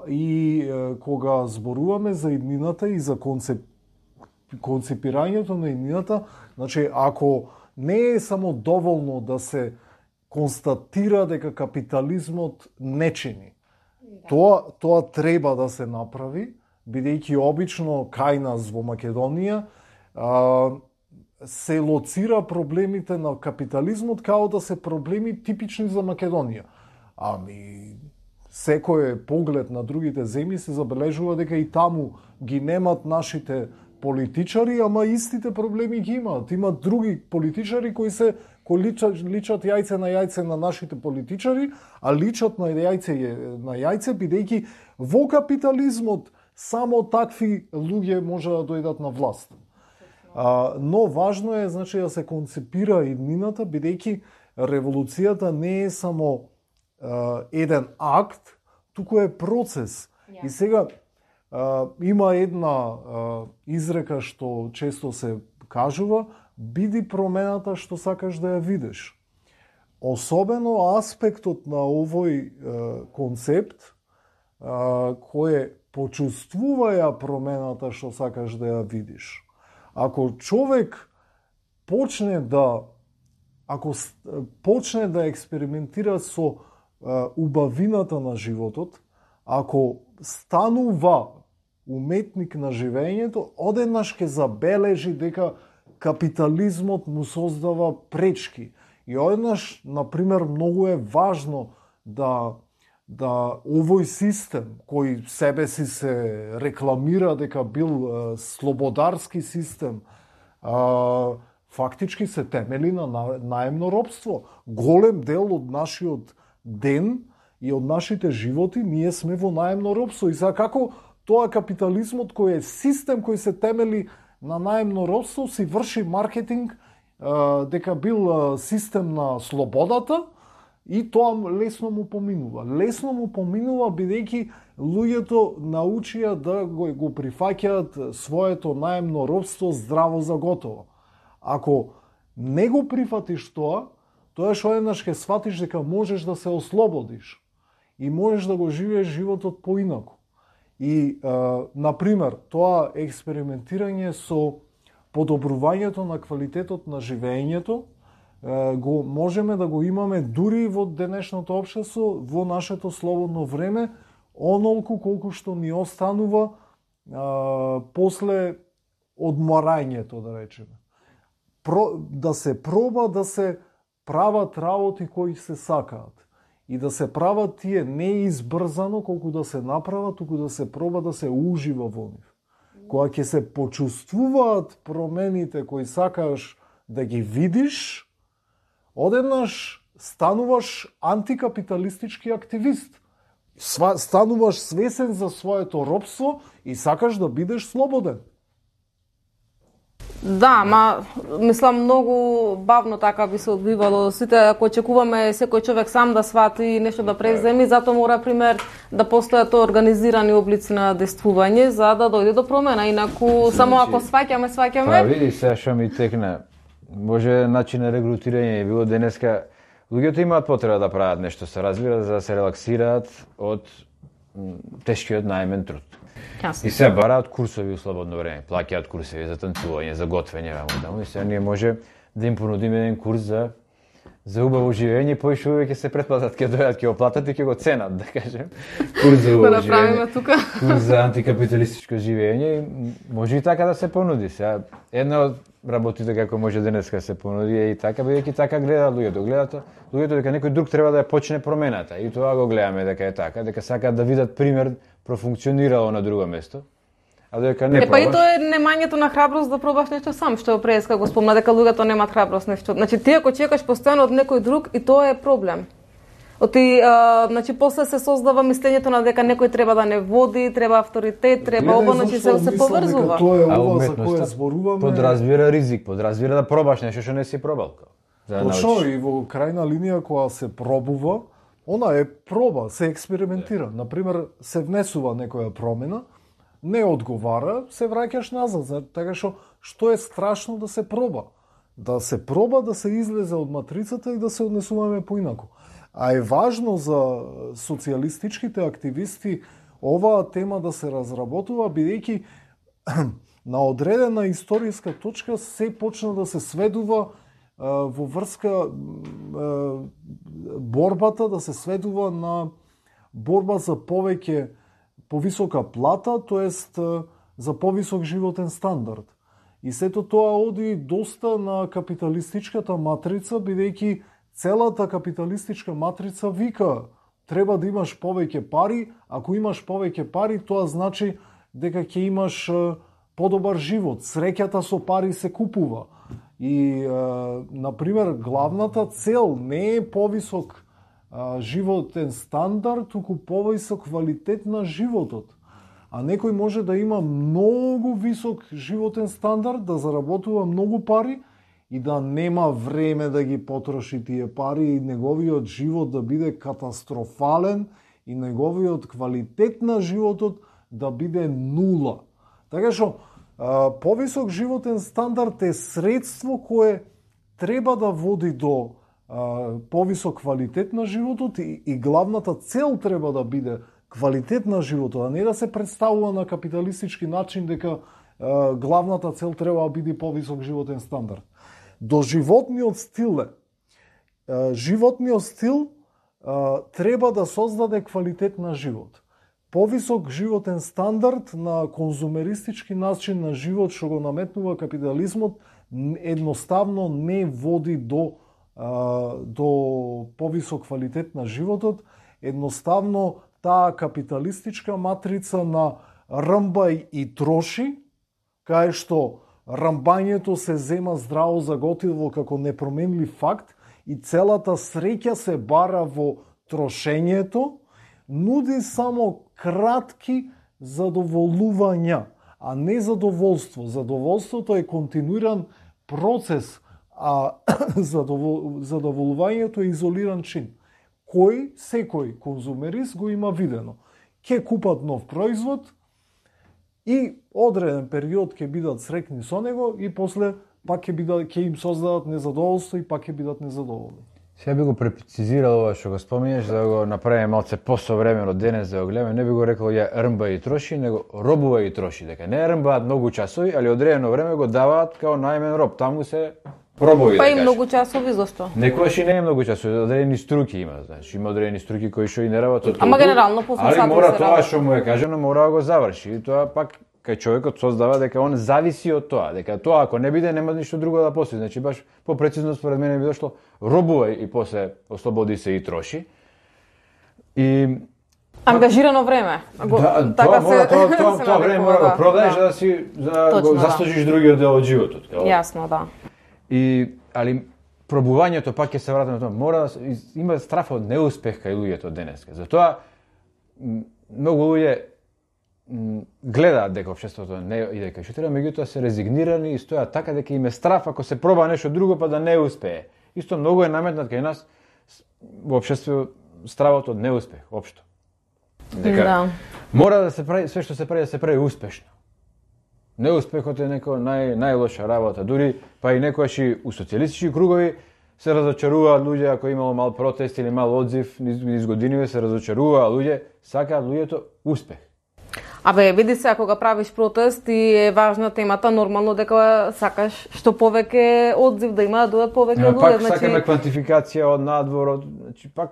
И кога зборуваме за иднината и за концепирањето на иднината, значи ако не е само доволно да се констатира дека капитализмот не чини, тоа треба да се направи, бидејќи обично кај нас во Македонија се лоцира проблемите на капитализмот као да се проблеми типични за Македонија. Секој поглед на другите земји се забележува дека и таму ги немат нашите политичари, ама истите проблеми ги имаат. Имат други политичари кои личат јајце на јајце на нашите политичари, а личат на јајце бидејќи во капитализмот само такви луѓе може да дојдат на власт. Но важно е, значи, да се концепира иднината, бидејќи револуцијата не е само еден акт, туку е процес. Yeah. И сега има една изрека што често се кажува: биди промената што сакаш да ја видиш. Особено аспектот на овој концепт кој почувствуваја промената што сакаш да ја видиш. Ако човек почне да експериментира со убавината на животот, ако станува уметник на живењето, одеднаш ќе забележи дека капитализмот му создава пречки. И одеднаш, например, многу е важно да овој систем, кој себе си се рекламира дека бил слободарски систем, фактички се темели на наемно робство. Голем дел од нашиот ден и од нашите животи ние сме во наемно робство. И сега како тоа капитализмот кој е систем кој се темели на наемно робство си врши маркетинг дека бил систем на слободата, и тоа лесно му поминува. Лесно му поминува бидејќи луѓето научија да го прифаќаат своето наемно робство здраво за готово. Ако не го прифатиш тоа што еднаш ќе сватиш дека можеш да се ослободиш и можеш да го живееш животот поинаку. И, например, тоа експериментирање со подобрувањето на квалитетот на живењето го можеме да го имаме дури во денешното општество, во нашето слободно време, онолку колку што ни останува после одморањето, да речеме. Да се проба да се прават работи кои се сакаат. И да се прават тие не избрзано колку да се направат, туку да се проба да се ужива во нив. Кога ќе се почувствуваат промените кои сакаш да ги видиш, одеднаш стануваш антикапиталистички активист. Стануваш свесен за своето робство и сакаш да бидеш слободен. Да, мислам многу бавно така би се одбивало. Сите, ако очекуваме секој човек сам да свати и нешто да преземи, затоа мора, пример, да постојат организирани облици на действување за да дојде до промена. Инаку, само ако сваќаме. Па види сега што ми текна. Може начин на регрутирање е било денеска. Луѓето имаат потреба да прават нешто, се разбира, за да се релаксираат од тешкиот наемен труд. Ясно. И се бараат курсови у слободно време, плаќаат курсови за танцување, за готвење, и сега ние може да им понудиме еден курс за убаво живење, поише увек ќе се претплатат, ќе дојдат, ќе го платат и ќе го ценат, да кажем. Курс за убаво живење, курс за антикапиталистичко живење, може и така да се понуди. Сега една од работите како може денеска се понуди е и така, бидејќи така гледаат луѓето. Гледаат луѓето дека некој друг треба да ја почне промената. И тоа го гледаме дека е така, дека сакаат да видат пример профункционирало на друго место. А дека не пробаш. Па и тоа е немањето на храброст да пробаш нешто сам, што преска го спомна дека луѓето немаат храброст нешто. Значи ти ако чекаш постојано од некој друг, и тоа е проблем. Значи после се создава мислењето на дека некој треба да не води, треба авторитет, треба оба, значи се поврзува. Тоа е ова за кое зборуваме. Подразбира ризик, подразбира да пробаш нешто што не си пробал. Точно, и во крајна линија кога се пробува, она е проба, се експериментира. Например, се внесува некоја промена, не одговара, се враќаш назад. Така што е страшно да се проба? Да се проба да се излезе од матрицата и да се однесуваме поинаку. А е важно за социјалистичките активисти оваа тема да се разработува, бидејќи на одредена историска точка се почна да се сведува во врска борбата, да се сведува на борба за повисока плата, тоест за повисок животен стандард. И сето тоа оди доста на капиталистичката матрица, бидејќи целата капиталистичка матрица вика треба да имаш повеќе пари, ако имаш повеќе пари, тоа значи дека ќе имаш подобар живот. Среќата со пари се купува. И, например, главната цел не е повисок животен стандард, туку повисок квалитет на животот. А некој може да има многу висок животен стандард, да заработува многу пари и да нема време да ги потроши тие пари и неговиот живот да биде катастрофален и неговиот квалитет на животот да биде нула. Така што повисок животен стандард е средство кое треба да води до повисок квалитет на животот и главната цел треба да биде квалитет на животот, а не да се представува на капиталистички начин дека главната цел треба да биде повисок животен стандард. До животниот стил животниот стил треба да создаде квалитет на живот. Повисок животен стандард на конзумеристички начин на живот што го наметнува капитализмот едноставно не води до повисок квалитет на животот. Едноставно таа капиталистичка матрица на рмбај и троши, кај што рамбањето се зема здраво за готово како непроменлив факт и целата среќа се бара во трошењето, нуди само кратки задоволувања, а не задоволство. Задоволството е континуиран процес, а задоволувањето е изолиран чин. Секој конзумерист го има видено. Ке купат нов производ и одреден период ќе бидат среќни со него и после пак ќе им создадат незадоволство и пак ќе бидат незадоволни. Сега би го прецизирал ова што го споминеш, да го направиме малце посовремено денес да го гледаме, не би го рекол ја рмба и троши, него робува и троши, дека не рмбаат многу часови, али одредено време го даваат као најмен роб, таму се пробови. Па и многу часови зашто? Некојаш и не е многу часови, одредени струки има, значи има одредени струки кои што и не работат. Ама генерално по сати се работи. Али мора тоа што му е кажано, мора да го заврши. И тоа пак кај човекот создава дека он зависи од тоа, дека тоа ако не биде нема ништо друго да постои. Значи баш попрецизно според мене би дошло робува и после ослободи се и троши. И ангажирано време. Тоа време мора да продаеш да си го заслужиш другиот дел од животот. Јасно, да. Али пробувањето пак ќе се вратиме на тоа. Мора да има страф од неуспех кај луѓето денеска. Затоа многу луѓе гледаат дека општеството не иде кај што треба, меѓутоа се резигнирани и стојат така дека им е страф ако се проба нешто друго па да не успее. Исто многу е наметнат кај нас во општеството стравот од неуспех општо. Дека мора да се прави све што се прави да се прави успешно. Неуспехот е најлоша работа, дури па и некојаш и у социјалистички кругови се разочаруваат луѓе ако имало мал протест или мал одзив низ годиниве, се разочаруваат луѓе, сакаат луѓето успех. Абе, види се, ако го правиш протест и е важна темата, нормално дека сакаш што повеќе одзив да има, да додат повеќе луѓе. Пак сакаме квантификација од надвор, значи пак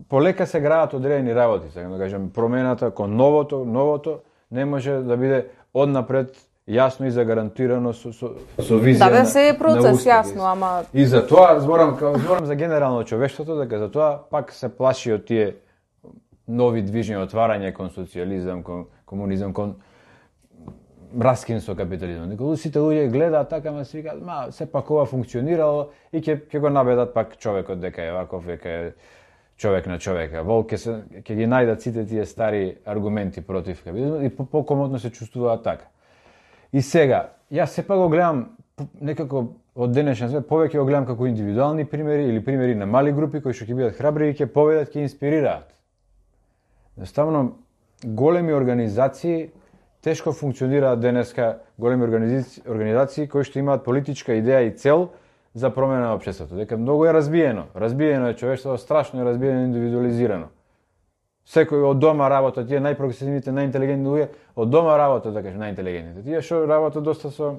полека се граат одредени работи, сакам да кажам, промената кон новото не може да биде однапред јасно и загарантирано со визија да се е процес, јасно, ама и за тоа зборам за генерално човештвото, дека за тоа пак се плаши од тие нови движења, отварање кон социјализам, кон комунизам, кон раскин со капитализмот. Дека сите луѓе гледаат така, ама се викаат, сепак ова функционирало и ќе го набедат пак човекот дека е ваков, дека е човек на човека. Волк ќе ги најдат сите тие стари аргументи против капитализмот и покомотно се чувствуваат така. И сега, јас сепак го гледам некако од денешен свет, повеќе го гледам како индивидуални примери или примери на мали групи кои што ќе бидат храбри и ќе поведат, ќе инспирираат. Едноставно, големи организации тешко функционираат денеска големи организации кои што имаат политичка идеја и цел за промена на општеството. Дека многу е разбиено. Разбиено е човештвото, страшно е разбиено и индивидуализирано. Секој од дома работа, тие најпрогресивните, најинтелигентни луѓе, од дома работа, да кажем, најинтелигентните. Тие што работат доста со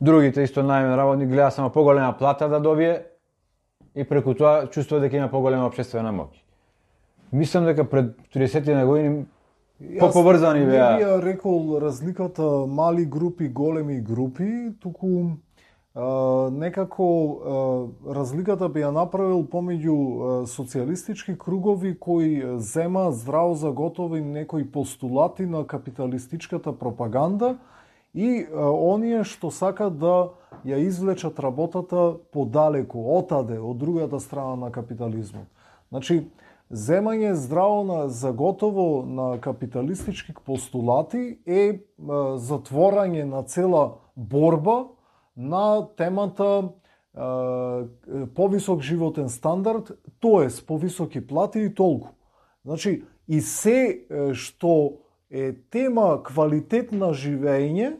другите исто најмен работник гледа само поголема плата да добие и преку тоа чувствува дека има поголема општествена моќ. Мислам дека пред 30 години поврзани беа. Не би рекол разликата мали групи, големи групи, туку некако разликата би ја направил помеѓу социјалистички кругови кои зема здраво за готови некои постулати на капиталистичката пропаганда и оние што сакат да ја извлечат работата подалеку, отаде, од другата страна на капитализмот. Значи, земање здраво за готово на капиталистички постулати е затворање на цела борба на темата повисок животен стандард, тоест повисоки плати и толку. Значи, и се што е тема квалитет на живење,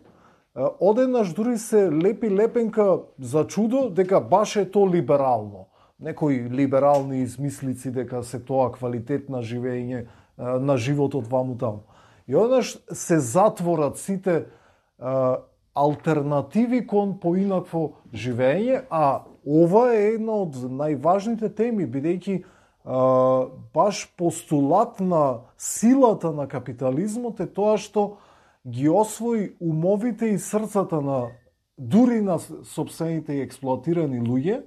одеднаш дури се лепи лепенка за чудо дека баш е то либерално. Некои либерални измислици дека се тоа квалитет на живење, на животот ваму таму. И одеднаш се затворат сите алтернативи кон поинакво живење, а ова е една од најважните теми, бидејќи баш постулат на силата на капитализмот е тоа што ги освои умовите и срцата на дури на сопствените и експлоатирани луѓе,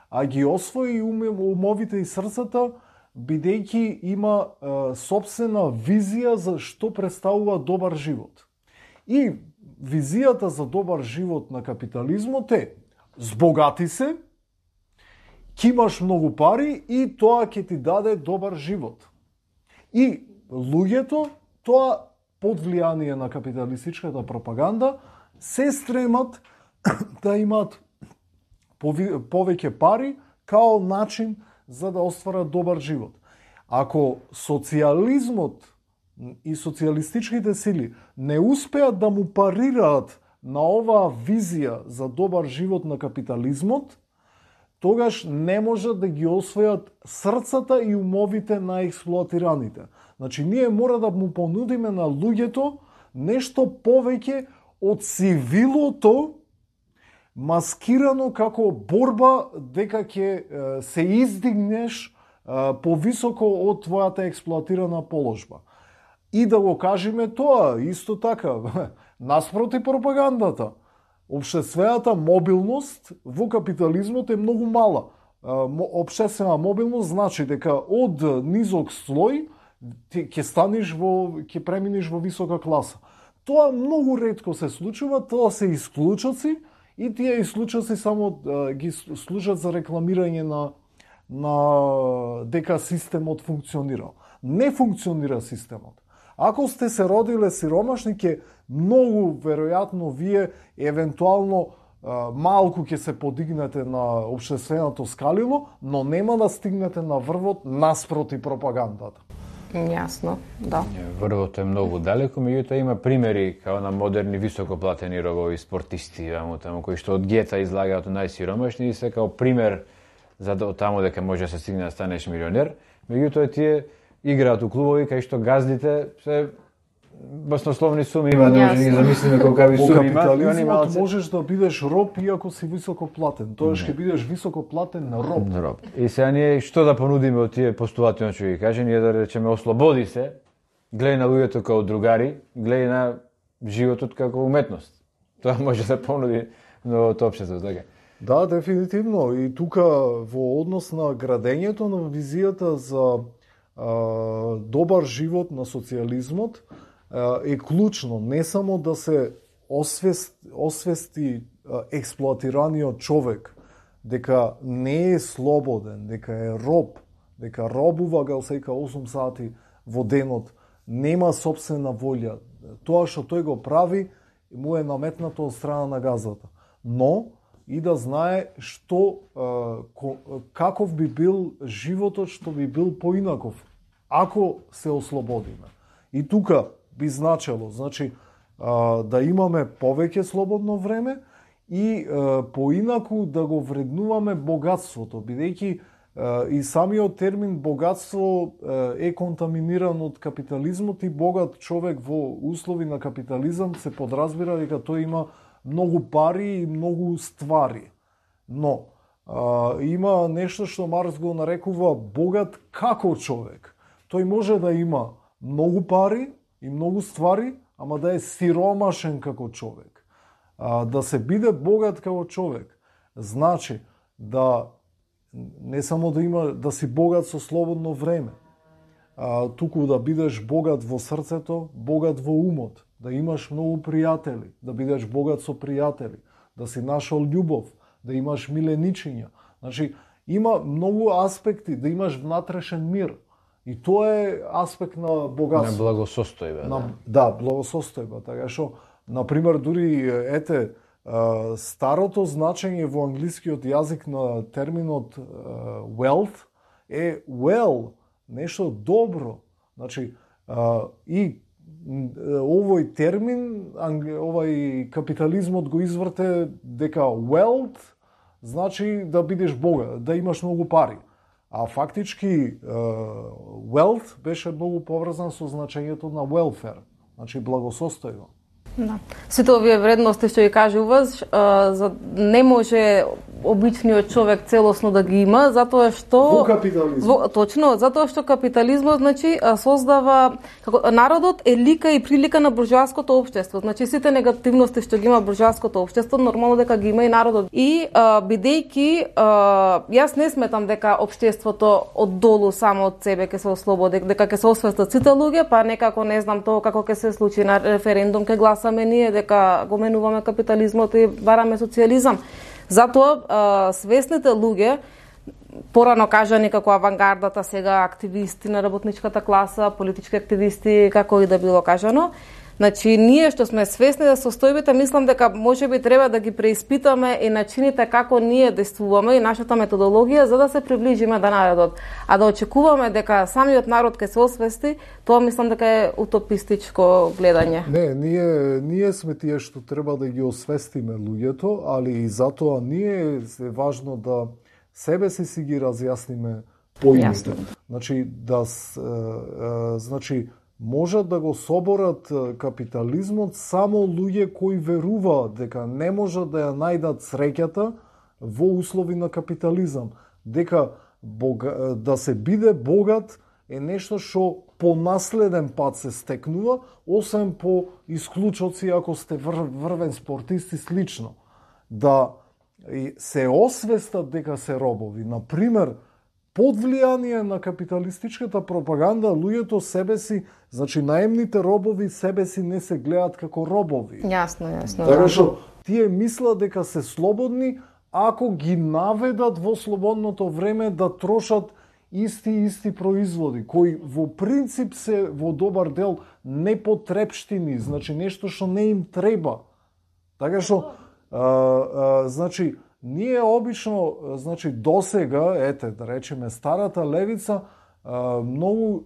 а ги освои умовите и срцата бидејќи има сопствена визија за што представува добар живот. И визијата за добар живот на капитализмот е збогати се, ќе имаш многу пари и тоа ќе ти даде добар живот. И луѓето, тоа под влијание на капиталистичката пропаганда, се стремат да имаат повеќе пари као начин за да остварат добар живот. Ако социјализмот и социјалистичките сили не успеат да му парираат на оваа визија за добар живот на капитализмот, тогаш не можат да ги освојат срцата и умовите на експлоатираните. Значи, ние мора да му понудиме на луѓето нешто повеќе од цивилото, маскирано како борба дека ќе се издигнеш повисоко од твојата експлоатирана положба. И да го кажеме тоа, исто така, наспроти пропагандата. Општествената мобилност во капитализмот е многу мала. Општествена мобилност значи дека од низок слој ќе преминеш во висока класа. Тоа многу ретко се случува, тоа се исклучоци и тие исклучоци само ги служат за рекламирање на дека системот функционира. Не функционира системот. Ако сте се родиле сиромашни, ќе многу веројатно вие евентуално малку ќе се подигнете на општественото скалило, но нема да стигнете на врвот наспроти пропагандата. Јасно, да. Врвот е многу далеко, меѓутоа има примери као на модерни високоплатени робови спортисти, таму кои што од гета излагаат најсиромашни и се као пример за таму дека може да се стигне да станеш милионер. Меѓутоа тие играат у клубови кај што газдите се баснословни суми има, не може да ги замислиме колкави суми има. Во капитализмот можеш да бидеш роб иако си високо платен. Тоа ќе бидеш високо платен на роб. И сега ние што да понудиме од тие постулати, што ги каже, ние да речеме ослободи се, гледај на луѓето како другари, гледај на животот како уметност. Тоа може да понуди новото општество, така. Да, дефинитивно. И тука во однос на градењето на визијата за добар живот на социјализмот е клучно не само да се освести експлоатираниот човек дека не е слободен, дека е роб, дека робува галсека 8 сати во денот, нема сопствена волја. Тоа што тој го прави му е наметнато од страна на газата. Но и да знае што каков би бил животот што би бил поинаков ако се ослободиме. И тука би значело, значи да имаме повеќе слободно време и поинаку да го вреднуваме богатството, бидејќи и самиот термин богатство е контаминиран од капитализмот и богат човек во услови на капитализам се подразбира дека тој има многу пари и многу ствари. Но има нешто што Маркс го нарекува богат како човек. Тој може да има многу пари и многу ствари, ама да е сиромашен како човек. Да се биде богат како човек значи да не само да си богат со слободно време, туку да бидеш богат во срцето, богат во умот, да имаш многу пријатели, да бидеш богат со пријатели, да си нашол љубов, да имаш миленичиња. Значи, има многу аспекти, да имаш внатрешен мир. И тоа е аспект на богатство. На благосостојба. Да, благосостојба. Така што, например, дури, ете, старото значење во англискиот јазик на терминот wealth е well, нешто добро. Значи, и овој термин, овај капитализмот го изврте дека wealth значи да бидеш богат, да имаш многу пари. А фактички wealth беше многу поврзан со значењето на welfare, значи благосостојба. Да. Сите овие вредности што ги кажуваш, не може обичниот човек целосно да ги има, затоа што во капитализмот. Точно, затоа што капитализмот значи создава народот е лика и прилика на буржоаското општество. Значи сите негативности што ги има буржоаското општество, нормално дека ги има и народот. И бидејќи јас не сметам дека општеството од долу само од себе ќе се ослободи, дека ќе се освестат сите луѓе, па некако не знам тоа како ќе се случи на референдум, ќе гласаме ние дека го менуваме капитализмот и бараме социјализам. Затоа свесните луѓе, порано кажани како авангардата, сега активисти на работничката класа, политички активисти, како и да било кажано, значи ние што сме свесни за состојбите, мислам дека можеби треба да ги преиспитаме и начините како ние действуваме и нашата методологија за да се приближиме до народот. А да очекуваме дека самиот народ ќе се освести, тоа мислам дека е утопистичко гледање. Не, ние сме тие што треба да ги освестиме луѓето, али и затоа ние е важно да себе си ги разјасниме поимите. Значи значи можат да го соборат капитализмот само луѓе кои веруваат дека не можат да ја најдат среќата во услови на капитализам, дека да се биде богат е нешто што по наследен пат се стекнува, освен по исклучоци ако сте врвен спортист и слично. Да се освестат дека се робови. Например, под влијание на капиталистичката пропаганда, луѓето себе си, значи наемните робови себе си не се гледаат како робови. Јасно. Така што тие мислат дека се слободни ако ги наведат во слободното време да трошат исти производи, кои во принцип се во добар дел непотрепштини, значи нешто што не им треба. Така што, значи, ние обично, значи досега, ете, да речеме, старата левица, многу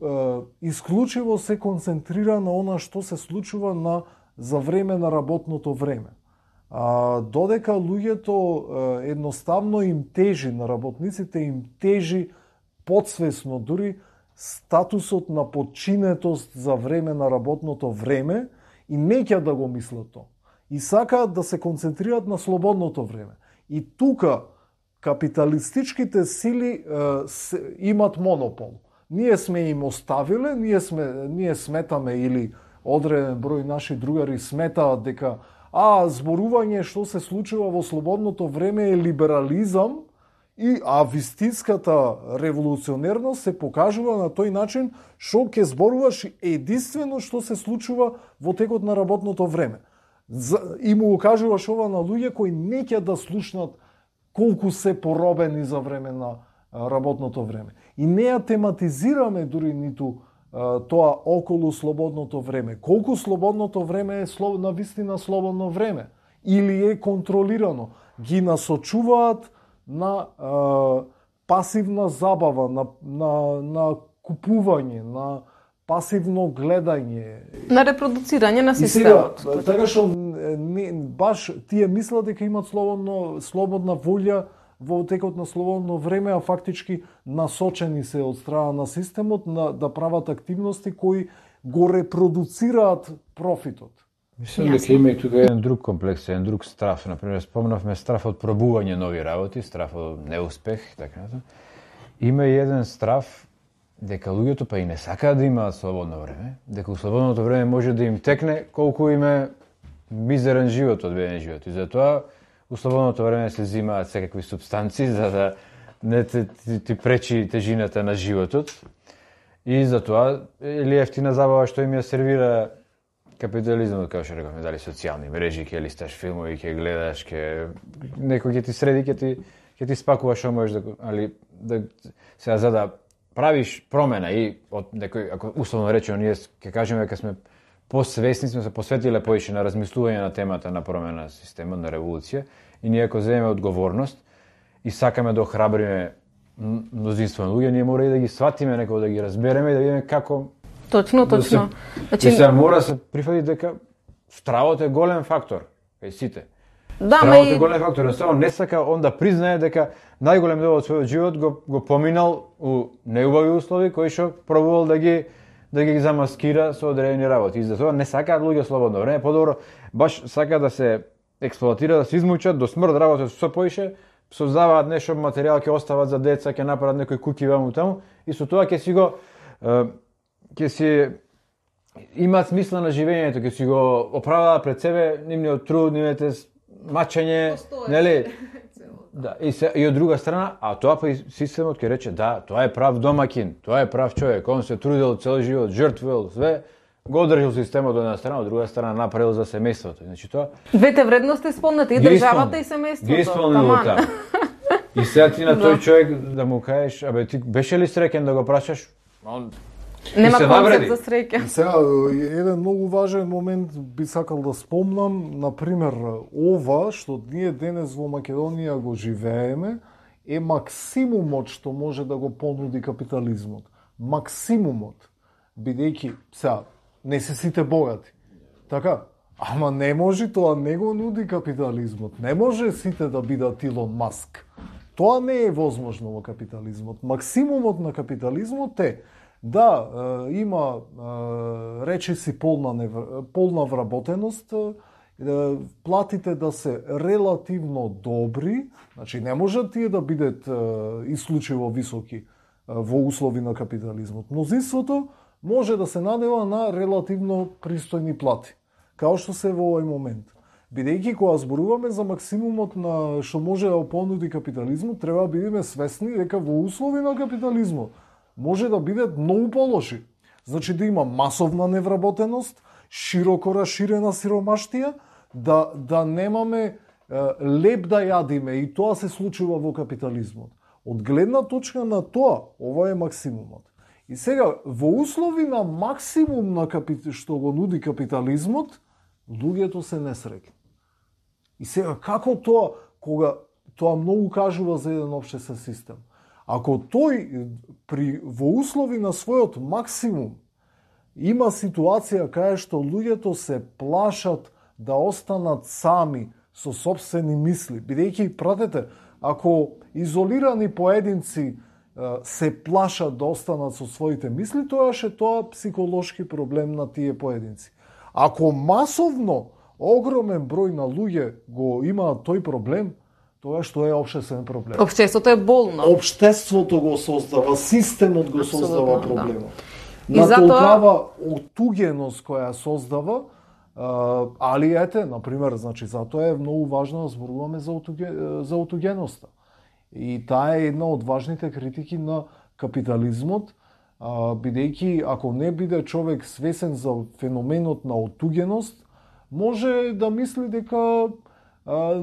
исклучиво се концентрира на она што се случува за време на работното време. Додека луѓето едноставно им тежи, на работниците им тежи подсвесно дури статусот на подчинетост за време на работното време и неќа да го мислат тоа. И сакаат да се концентрираат на слободното време. И тука капиталистичките сили имат монопол. Ние сме им оставиле, ние сметаме или одреден број наши другари сметаат дека зборување што се случува во слободното време е либерализам и вистинската револуционерност се покажува на тој начин што ќе зборуваш единствено што се случува во текот на работното време. И му го кажуваш ова на луѓе кои неќе да слушнат колку се поробени за време на работното време. И не ја тематизираме дури ниту тоа околу слободното време. Колку слободното време е навистина слободно време или е контролирано. Ги насочуваат на пасивна забава, на купување, на пасивно гледање. На репродуцирање на системот. И сега, така што баш тие мислат дека имат слободна волја во текот на слободно време, а фактички насочени се од страна на системот да прават активности кои го репродуцираат профитот. Мислам дека има и тука еден друг комплекс, еден друг страф. Например, спомнавме страф од пробување нови работи, страф од неуспех, така натаму. Има и еден страф дека луѓето па и не сакаат да имаат слободно време, дека у слободното време може да им текне колку им е мизерен живот, одбеден живот. И затоа у слободното време се взимаат секакви супстанции за да не ти пречи тежината на животот. И затоа или ефтина забава што им ја сервира капитализмот, како што рековме, дали социјални мрежи, ќе листаш филмови, ќе гледаш, некој ќе ти среди, ќе ти спакува што можеш да сега за да правиш промена и од некој, ако условно речено ние ќе кажеме дека сме посвесни, сме се посветиле повеќе на размислување на темата на промена на системот, на револуција, и ние ако земеме одговорност и сакаме да охрабриме мнозинство на луѓе, ние мора и да ги сватиме, некако да ги разбереме и да видиме како. Точно. Значи се мора да се прифати дека стравот е голем фактор кај сите. Да, стравот е голем фактор, само не сака он да признае дека најголем дел од својот живот го поминал у неубави услови кои што пробувал да ги замаскира со одредени работи. И затоа не сакаат луѓе слободно време, подобро баш сака да се експлоатира, да се измучат до смрт, работат со поише, создаваат нешто материјал, ќе остават за деца, ќе направат некои куќи ваму таму и со тоа ќе си имаат смисла на живењето, ќе си го оправдаат пред себе нивниот труд, нивните мачење, нели? Да, и од друга страна, а тоа па и системот ќе рече да, тоа е прав домакин, тоа е прав човек, он се трудел цел живот, жртвувал све, го одржал системот од една страна, од друга страна направил за семејството. Значи тоа двете вредности спомнати, и државата и семејството. Ги исполнил таму. И сега ти на тој човек да му кажеш, абе ти беше ли среќен да го прашаш? Он нема концепт за среќа. Сега, еден многу важен момент би сакал да спомнам, например, ова што ние денес во Македонија го живееме, е максимумот што може да го понуди капитализмот. Максимумот. Бидејќи, сега, не се сите богати. Така? Ама не може, тоа не го нуди капитализмот. Не може сите да бидат Илон Маск. Тоа не е возможно во капитализмот. Максимумот на капитализмот е да има речиси полна вработеност, платите да се релативно добри, значи не можат тие да бидат исклучиво високи во услови на капитализмот. Мнозинството може да се надева на релативно пристојни плати, као што се во овој момент. Бидејќи кога зборуваме за максимумот на што може да понуди капитализмот, треба да бидеме свесни дека во услови на капитализмот може да бидат многу полоши. Значи да има масовна невработеност, широко расширена сиромаштија, да немаме леп да јадиме, и тоа се случува во капитализмот. Од гледна точка на тоа, ова е максимумот. И сега, во услови на максимум на што го нуди капитализмот, луѓето се несреќни. И сега, како тоа, кога тоа многу кажува за еден општествен систем? Ако тој во услови на својот максимум има ситуација кај што луѓето се плашат да останат сами со сопствени мисли, бидејќи, пратете, ако изолирани поединци се плашат да останат со своите мисли, тоа е психолошки проблем на тие поединци. Ако масовно огромен број на луѓе го имаат тој проблем, тоа што е општествен проблем. Општеството е болно. Општеството го создава, системот го создава проблемот. Да. На толкава отугеност која создава, али ете, например, значи затоа е многу важно да зборуваме за отугеноста. И таа е една од важните критики на капитализмот, бидејќи ако не биде човек свесен за феноменот на отугеност, може да мисли дека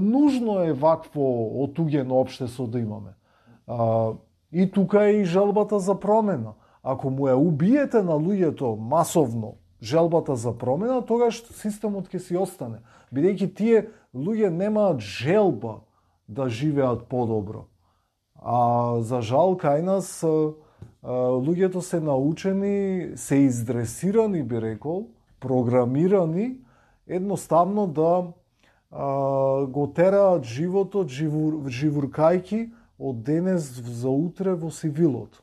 нужно е вакво отугено општество да имаме. И тука е и желбата за промена. Ако му ја убиете на луѓето масовно желбата за промена, тогаш системот ќе си остане. Бидејќи тие луѓе немаат желба да живеат подобро. А за жал кај нас луѓето се научени, се издресирани, би рекол, програмирани, едноставно да го тераат животот живуркајки од денес за утре во сивилот.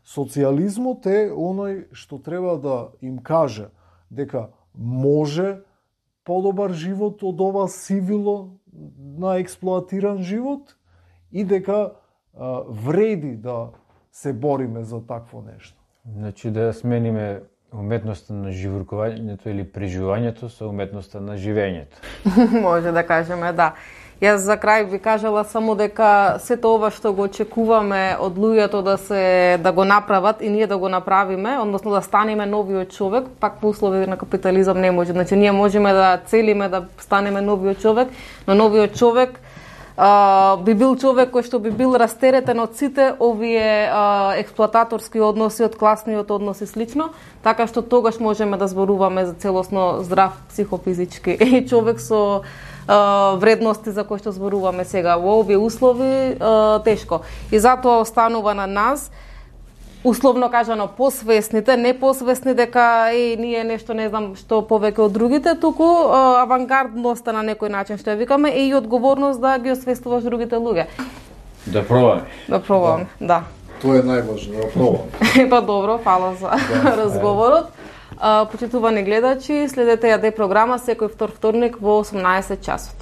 Социјализмот е оној што треба да им каже дека може подобар живот од ова сивило на експлоатиран живот и дека вреди да се бориме за такво нешто. Значи да смениме уметноста на живуркувањето или преживувањето со уметноста на живењето. Може да кажеме, да. Јас за крај би кажала само дека сето ова што го очекуваме од луѓето да го направат и ние да го направиме, односно да станеме новиот човек, пак по услови на капитализам не може. Значи ние можеме да целиме да станеме новиот човек, но новиот човек би бил човек кој што би бил растеретен од сите овие експлоататорски односи, од класниот однос и слично, така што тогаш можеме да зборуваме за целосно здрав психофизички човек со вредности за кои што зборуваме сега. Во овие услови тешко. И затоа останува на нас, условно кажано, посвесните, не посвесни дека ние нешто не знам што повеќе од другите, туку авангардноста на некој начин што ја викаме и одговорност да ги освестуваш другите луѓе. Да пробаме. Да пробаме, да. Тоа е најважно, да пробаме. Па добро, фала за разговорот. Почитувани гледачи, следете ја програма секој вторник во 18 часот.